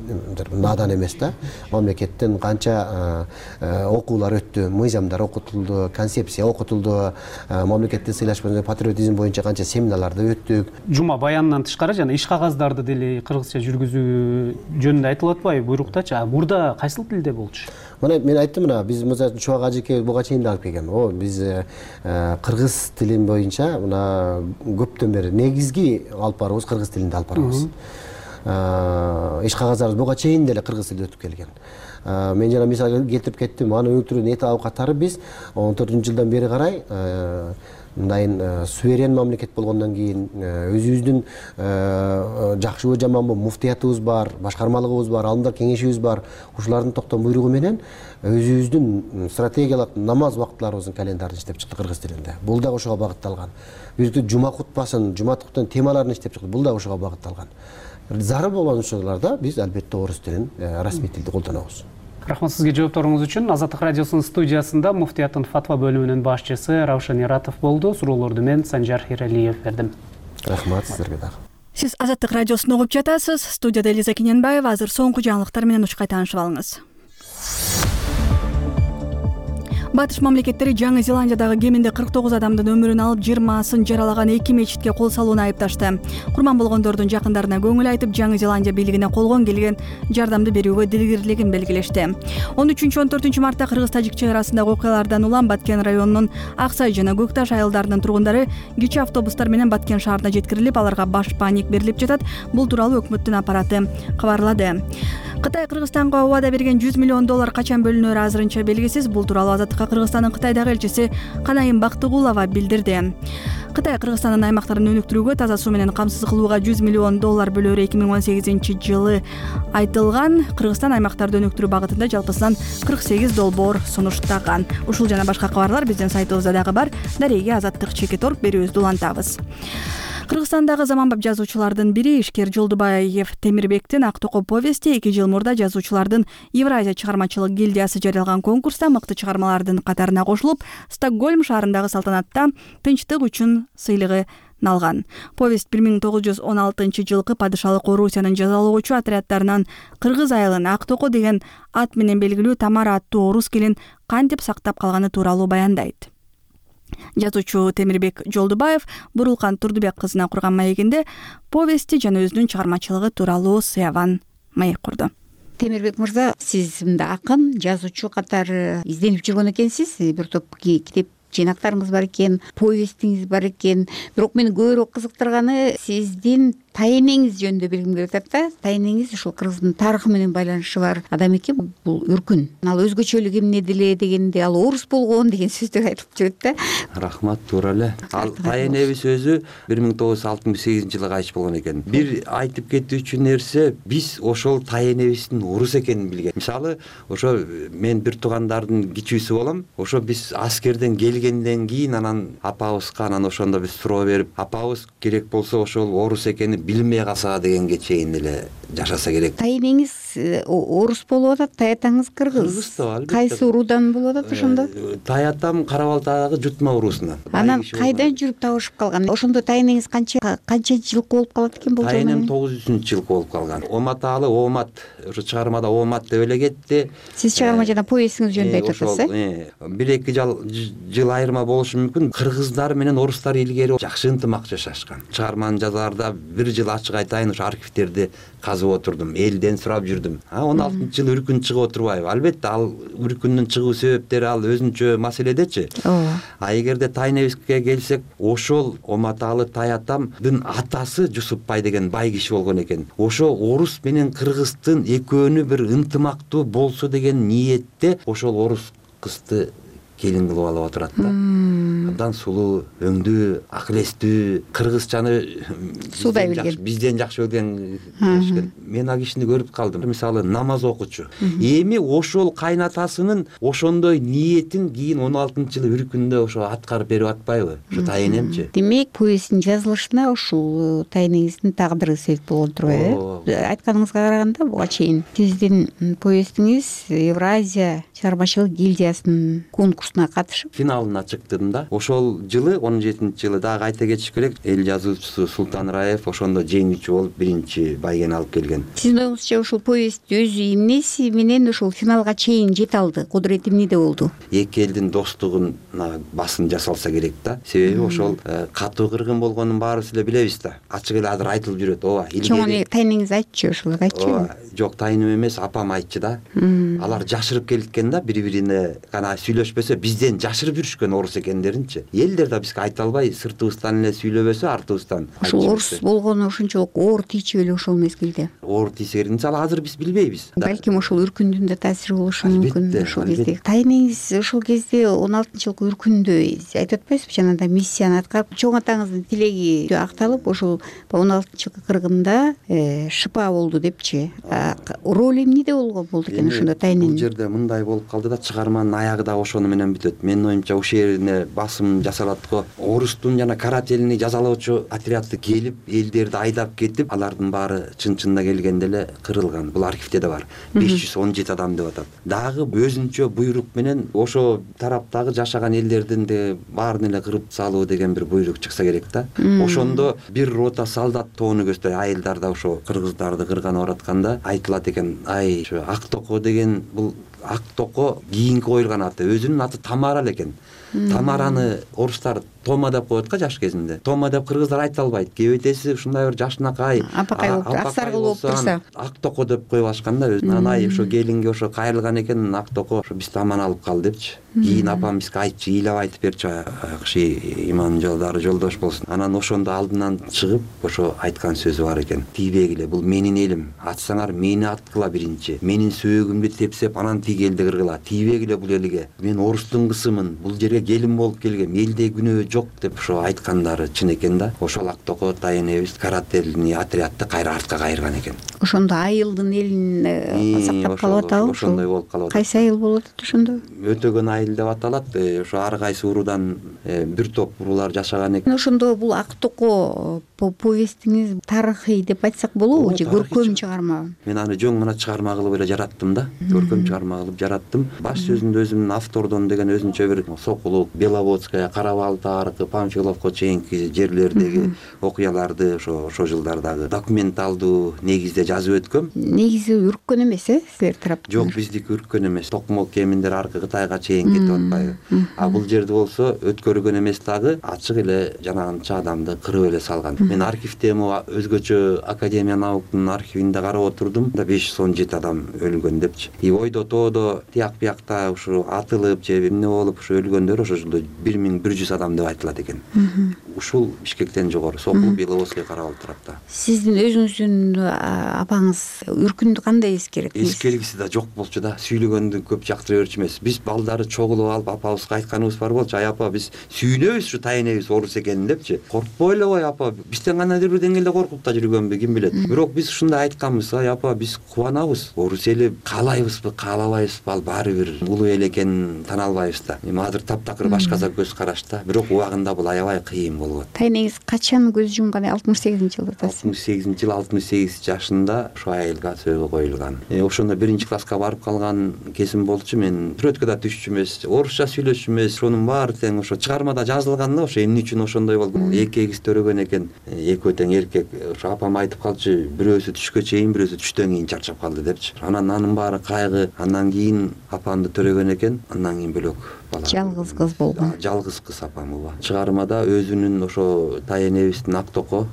надан эмес да. Мамлекеттен канча окуулар өттү, мыйзамдар окутулду, концепция окутулду, мамлекетти сыйлаш боюнча, патриотизм боюнча канча семинарларды өттүк. Жума баянынан тышкары жана иш кагаздарды деле кыргызча жүргүзүү жөнүндө айтылып атпайбы буйруктачы? Мурда кайсыл тилде болчу? Мына мен айттым, мына биз мисалы Чубак ажеке буга чейин да алып келген. О, биз кыргыз тилин боюнча мына көптөн бери негизги алып барабыз кыргыз тилинде алып барабыз. Иш кагаздарыбыз буга чейин деле кыргыз тилде өтүп келген. Мен жана мисал келтирип кеттим, аны өнүктүрүүнүн эти абкаттары биз он төртүнчү жылдан бери карай мындайын суверен мамлекет болгондон кийин өзүбүздүн жакшыбы жаманбы муфтиятыбыз бар, башкармалыгыбыз бар, алымдар кеңешибиз бар. Ушулардын токтом буйругу менен өзүбүздүн стратегиялык намаз убакытларыбыздын календарын иштеп чыкты кыргыз тилинде. Бул да ошого багытталган. Бирдей жума кутбасын, жума куттун темаларын иштеп чыкты. Бул да ошого багытталган. Зарыл болгон учурларда биз албетте орус тилин, расмий тилди колдонобуз. Рахмат сизге жоопторуңуз үчүн. Азаттык радиосунун студиясында муфтияттын фатва бөлүмүнүн башчысы Раушан Иратов болду. Суроолорду мен Санжар Эралиев бердим. Рахмат сиздерге дагы. Сиз Азаттык радиосун угуп жатасыз. Студияда Элиза Кененбаева. Азыр соңку жаңылыктар менен учкай таанышып алыңыз. Батыш мамлекеттери Жаңы Зеландиядагы кеминде кырк тогуз адамдын өмүрүн алып, жыйырмасын жаралаган эки мечитке кол салууну айыпташты. Курман болгондордун жакындарына көңүл айтып, Жаңы Зеландия бийлигине колгон келген жардамды берүүгө дилгирлигин белгилешти. он үчүнчү он төртүнчү мартта кыргыз-тажик чек арасындагы окуялардан улам Баткен районунун Аксай жана Көкташ айылдарынын тургундары кичи автобустар менен Баткен шаарына жеткирилип, аларга баш паник берилип жатат. Бул тууралуу өкмөттүн аппараты кабарлады. Кытай Кыргызстанга убада берген жүз миллион доллар качан бөлүнөрү азырынча белгисиз. Бул тууралуу Азаттыкка Кыргызстандын Кытайдагы элчиси Канайым Бактыгулова билдирди. Кытай Кыргызстандын аймактарын өнүктүрүүгө, таза суу менен камсыз кылууга жүз миллион доллар бөлөөрү эки миң он сегизинчи жылы айтылган. Кыргызстан аймактарды өнүктүрүү багытында жалпысынан кырк сегиз долбоор сунуштаган. Ушул жана башка кабарлар биздин сайтыбызда дагы бар. Дареги азаттык чекит точка орг берүүбүздү улантабыз. Кыргызстандагы заманбап жазуучулардын бири Ишкер Жолдубаев Темирбектин Ак токой повести эки жыл мурда жазуучулардын Евразия чыгармачылык гильдиясы жарыялаган конкурста мыкты чыгармалардын катарына кошулуп, Стокгольм шаарындагы салтанатта тынчтык үчүн сыйлыгын алган. Повесть бир миң тогуз жүз он алтынчы жылкы падышалык Орусиянын жазалоочу отряддарынан Кыргыз айылын Ак токой деген ат менен белгилүү Тамара аттуу орус келин кантип сактап калганы тууралуу баяндайт. Жазуучу Темирбек Жолдубаев Бурулкан Турдубек кызына курган маегинде повести жана өзүнүн чыгармачылыгы тууралуу сыяван маек курду. Темирбек мырза, сиз мында акын, жазуучу катары изденип жүргөн экенсиз. Бир топ китеп жыйнактарыңыз бар экен, повестиңиз бар экен. Бирок мени көбүрөөк кызыктырганы сиздин тайэнеңиз жөнүндө билгим келип атат да. Тайэнеңиз ушул Кыргыздын тарыхы менен байланышы бар адам экен. Бул Үркүн. Ал өзгөчөлүгү эмнеде эле дегенде, ал орус болгон деген сөздү айтып жүрөт да. Рахмат, туура эле. Ал тайэнебиз өзү бир миң тогуз жүз алтымыш сегизинчи жылы кайтыш болгон экен. Бир айтып кетүүчү нерсе, биз ошол тайэнебиздин орус экенин билген. Мисалы, ошо мен бир туугандардын кичүүсү болом. Ошо биз аскерден келгенден кийин анан апабызга анан ошондо биз суроо берип, апабыз керек болсо ошол орус экенин билмей калса дегенге чейин эле жашаса керек. Тайэнеңиз орус болуп атат, таятаңыз кыргыз. Кыргыз да албетте. Кайсы уруудан болуп атат ошондо? Таятам Карабалтагы Жутма уруусунан. Анан кайдан жүрүп табышып калган? Ошондо тайэнеңиз канча канча жылкы болуп калат экен болжол менен? Тайэнем тогуз жүзүнчү жылкы болуп калган. Оматалы Омат, ошо чыгармада Омат деп эле кетти. Сиз чыгарма жана повестиңиз жөнүндө айтып атасыз, э? бир эки жыл жыл айырма болушу мүмкүн. Кыргыздар менен орустар илгери жакшы ынтымак жашашкан. Чыгарманы жазаарда бир жыл ачык айтайын, ошо архивтерди казып отурдум, элден сурап жүрдүм. он алтынчы жылы Үркүн чыгып отурбайбы? Албетте, ал Үркүндүн чыгуу себептери ал өзүнчө маселедечи. А эгерде тайэнебизге келсек, ошол Оматалы Таятамдын атасы Жусупбай деген бай киши болгон экен. Ошо орус менен кыргыздын экөөнү бир ынтымактуу болсо деген ниетте ошол орус кызды келин кылып алып отурат да. Абдан сулуу, өңдүү, акыл эстүү, кыргызчаны суудай билген, бизден жакшы билген. Мен ал кишини көрүп калдым. Мисалы, намаз окучу. Эми ошол кайнатасынын ошондой ниетин кийин он алтынчы жылы Үркүндө ошо аткарып берип атпайбы? Ошо тайэнемчи. Демек, повесттин жазылышына ушул тайэнеңиздин тагдыры себеп болгон турбайбы? Айтканыңызга караганда, буга чейин сиздин повестиңиз Евразия чыгармачылык гильдиясынын конкурсуна катышып финалына чыктым да. Ошол жылы он жетинчи жылы дагы айта кетиш керек, эл жазуучусу Султан Раев ошондо жеңүүчү болуп биринчи байгени алып келген. Сиздин оюңузча ушул повест өзү эмнеси менен ушул финалга чейин жете алды? Кудурети эмнеде болду? Эки элдин достугуна басым жасалса керек да. Себеби ошол катуу кыргын болгонун баарыбыз эле билебиз да. Ачык эле азыр айтылып жүрөт. Ооба, илгери тайэнеңиз айтчы, ошол айтчы. Жок, тайыным эмес, апам айтчы да. Алар жашырып келишкен экен да, бири бирине гана сүйлөшпөсө бизден жашырып жүрүшкөн орус экендеринчи. Элдер да бизге айта албай сыртыбыздан эле сүйлөбөсө артыбыздан ошол орус болгону ошончолук оор тийчү беле ошол мезгилде? Оор тийсе керек, мисалы азыр биз билбейбиз. Балким ошол үркүндүн да таасири болушу мүмкүн ошол кезде. Тайнеңиз ошол кезде он алтынчы жылкы үркүндө айтып атпайсызбы, жанагындай миссияны аткарып, чоң атаңыздын тилеги акталып, ошол он алтынчы жылкы кыргында шыпа болду депчи. Роль эмнеде болгон болду экен ошондо Тайнен? Бул жерде мындай болуп калды да, чыгарманын аягы да ошону менен бүтөт. Менин оюмча ушул жерине басым жасалат го. Орустун жана карательный жазалоочу отрядты келип, элдерди айдап кетип, алардын баары чын-чынында келгенде эле кырылган. Бул архивде да бар. беш жүз он жети адам деп атат. Дагы өзүнчө буйрук менен ошо тараптагы жашаган элдердин де баарын эле кырып салуу деген бир буйрук чыкса керек да. Ошондо бир рота солдат тоону көздөй айылдар да ошо кыргыздарды кырганы баратканда айтылат экен, ай ошо Ак Токо деген, бул Ак Токо кийинки коюлган аты, өзүнүн аты Тамара эле. Тамараны орустар Тома деп коет го жаш кезинде. Тома деп кыргыздар айта албайт. Кебетеси ушундай бир жашынакай, апакай болуп, аксаргыл болуп турса, Ак Токо деп коюп алышкан да. Өзүнөн ай ошо келинге ошо кайрылган экен, Ак Токо ошо бизди аман алып кал депчи. Кийин апам бизге айтчу, ыйлап айтып берчү, акши иман жолдары жолдош болсун. Анан ошондо алдынан чыгып ошо айткан сөзү бар экен. Тийбегиле, бул менин элим. Атсаңар мени аткыла биринчи. Менин сөөгүмдү тепсеп, анан тиги элди кыргыла. Тийбегиле бул элге. Мен орустун кызымын. Бул жерге келин болуп келгем. Элде күнөө жок деп ошо айткандары чын экен да. Ошол Ак Токо Тайенебиз карательный отрядты кайра артка кайырган экен. Ошондо айылдын элин сактап калып атабы? Ошондой болуп калып атат. Кайсы айыл болуп атат ошондо? Өтөгөн айыл деп аталат. Ошо ар кайсы уруудан бир топ уруулар жашаган экен. Ошондо бул Ак Токо повестиңиз тарыхый деп айтсак болобу же көркөм чыгарма? Мен аны жөн гана чыгарма кылып эле жараттым да. Көркөм чыгарма кылып жараттым. Баш сөзүндө өзүмдүн автордон деген өзүнчө бир Сокулук, Беловодская, Карабалта аркы Памфиловко чейинки жерлердеги окуяларды ошо ошо жылдардагы документалдуу негизде жазып өткөм. Негизи үрккөн эмес, э, силер тараптан? Жок, биздики үрккөн эмес. Токмок кеминдер аркы Кытайга чейин кетип атпайбы? А бул жерде болсо өткөргөн эмес дагы, ачык эле жанагынча адамды кырып эле салган. Мен архивде өзгөчө Академия наукунун архивинде карап отурдум да, беш жүз он жети адам өлгөн депчи. И ойдо тоодо тияк биякта ушу атылып же эмне болуп ушу өлгөндөр ошо жылда бир миң бир жүз адам деп айтылат экен. Ушул Бишкектен жогору, Сокул, Беловодский, Карабалта тарапта. Сиздин өзүңүздүн апаңыз үркүндү кандай эскерет? Эскергиси да жок болчу да, сүйлөгөндү көп жактыра берчү эмес. Биз балдары чогулуп алып апабызга айтканыбыз бар болчу, ай апа биз сүйүнөбүз ушу Тайенебиз орус экенин депчи. Коркпой эле кой апа, бизден кандайдыр бир деңгээлде коркуп да жүргөнбү, ким билет. Бирок биз ушундай айтканбыз, ай апа биз кубанабыз. Орус эли каалайбызбы, каалабайбызбы, ал баары бир улуу эл экенин тана албайбыз да. Эми азыр таптакыр башкача көз карашта, бирок убагында бул аябай кыйын болот. Тайенеңиз качан көз жумган? алтымыш сегизинчи жылда атасыз. алтымыш сегизинчи жыл алтымыш сегиз жашында ошо айылга сөөгө коюлган. Ошондо биринчи класска барып калган кезим болчу. Мен сүрөткө да түшчү эмес, орусча сүйлөшчү эмес. Ошонун баары тең ошо чыгармада жазылган да, ошо эмне үчүн ошондой болду. Эки эгиз төрөгөн экен, экөө тең эркек. Ошо апам айтып калчу, бирөөсү түшкө чейин, бирөөсү түштөн кийин чарчап калды депчи. Анан анын баары кайгы. Андан кийин апамды төрөгөн экен, андан кийин бөлөк бала. Жалгыз кыз болгон. Жалгыз кыз апам ооба. Чыгармада өзүнүн ошо Тайенебиздин Ак Токо,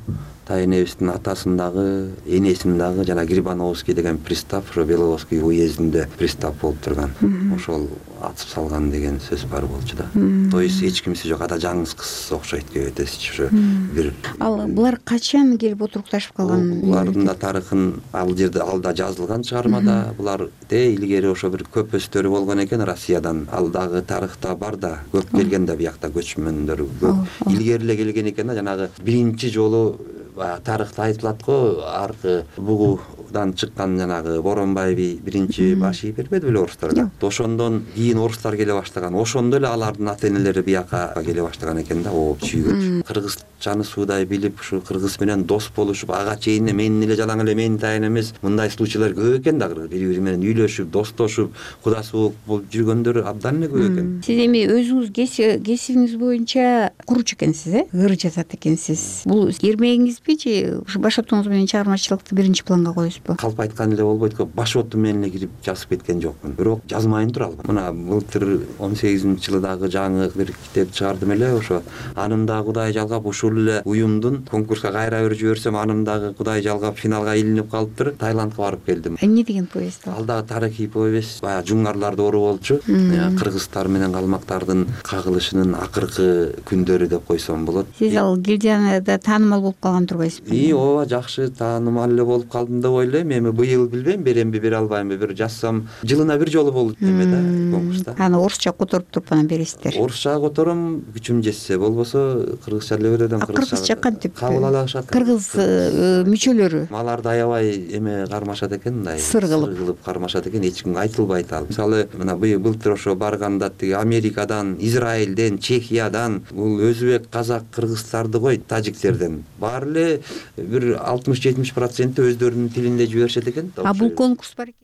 Тайенебиздин атасын дагы, энесин дагы жана Грибановский деген пристав, ошо Беловодский уездинде пристав болуп турган. Ошол атып салган деген сөз бар болчу да. То есть эч кимиси жок, ада жаңыз кыз окшойт кебетеси ошо бир. Ал булар качан келип отурукташып калган? Булардын да тарыхын ал жерде алда жазылган чыгармада. Булар де илгери ошо бир көпөстөрү болгон экен Россиядан. Ал дагы тарыхта бар да, көп келген да биякта көчмөндөр көп. Илгери эле келген экен да, жанагы биринчи жолу тарыхта айтылат го, аркы бугудан чыккан жанагы Боронбай би биринчи баш ий бербеди беле орустарга. Ошондон кийин орустар келе баштаган. Ошондо эле алардын ата энелери бияка келе баштаган экен да, ооп сүйгөч. Кыргызчаны суудай билип, ушу кыргыз менен дос болушуп, ага чейин менин эле жалаң эле менин тайын эмес, мындай случайлар көп экен да, бири-бири менен үйлөшүп, достошуп, кудасы болуп жүргөндөр абдан эле көп экен. Сиз эми өзүңүз кесибиңиз боюнча куручу экенсиз, э? Ыр жазат экенсиз. Бул эрмегиңизби же ушу баш отуңуз менен чыгармачылыкты биринчи планга коесузбу? болбойбузбу? Калп айткан эле болбойт го, баш оту менен эле кирип жазып кеткен жокмун. Бирок жазмайын тура албайм. Мына былтыр он сегизинчи жылы дагы жаңы бир китеп чыгардым эле, ошо анын дагы Кудай жалгап ушул эле уюмдун конкурска кайра бир жиберсем, анын дагы Кудай жалгап финалга илинип калыптыр. Таиландка барып келдим. Эмне деген повесть ал? Ал дагы тарыхый повесть. Баягы жуңгарлар доору болчу. Кыргызстар менен калмактардын кагылышынын акыркы күндөрү деп койсом болот. Сиз ал Гилдиянада таанымал болуп калган турбайсызбы? И ооба, жакшы таанымал эле болуп калдым деп ойлойм. Эми быйыл билбейм, беремби бере албаймбы, бир жазсам жылына бир жолу болот эме да конкурста. Аны орусча которуп туруп анан бересиздер. Орусча котором, күчүм жетсе, болбосо кыргызча эле берет. Кыргызча кантип? Кабыл ала алышат. Кыргыз мүчөлөрү аларды аябай эме кармашат экен, мындай сыр кылып кармашат экен, эч кимге айтылбайт ал. Мисалы, мына быйыл былтыр ошо барганда тиги Америкадан, Израилден, Чехиядан, бул өзбек, казак, кыргыздарды кой, тажиктерден баары эле бир алтымыш жетимиш проценти өздөрүнүн тилинде жиберишет экен. А бул конкурс бар экен.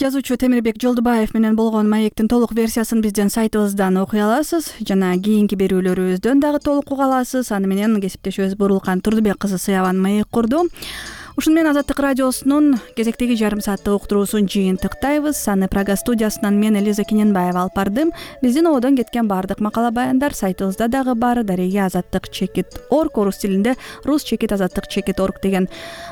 Жазуучу Темирбек Жолдубаев менен болгон маектин толук версиясын биздин сайтыбыздан окуй аласыз жана кийинки берүүлөрүбүздөн дагы толук уга аласыз. Аны менен кесиптешибиз Бурулкан Турдубек кызы Сыябан маек курду. Ушуну менен Азаттык радиосунун кезектеги жарым сааттык уктуруусун жыйынтыктайбыз. Аны Прага студиясынан мен Элиза Кененбаева алып бардым. Биздин ободон кеткен баардык макала баяндар сайтыбызда дагы бар. Дареге азаттык чекит орг, орус тилинде рус чекит азаттык чекит орг деген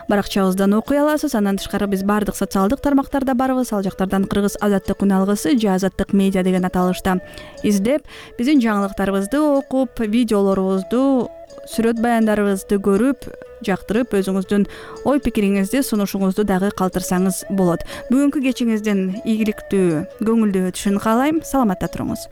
баракчабыздан окуй аласыз. Андан тышкары биз баардык социалдык тармактарда барбыз. Ал жактардан Кыргыз азаттык күн алгысы же азаттык медиа деген аталышта издеп, биздин жаңылыктарыбызды окуп, видеолорубузду, сүрөт баяндарыбызды көрүп, жактырып, өзүңүздүн ой пикириңизди, сунушуңузду дагы калтырсаңыз болот. Бүгүнкү кечиңиздин ийгиликтүү, көңүлдүү өтүшүн каалайм. Саламатта туруңуз.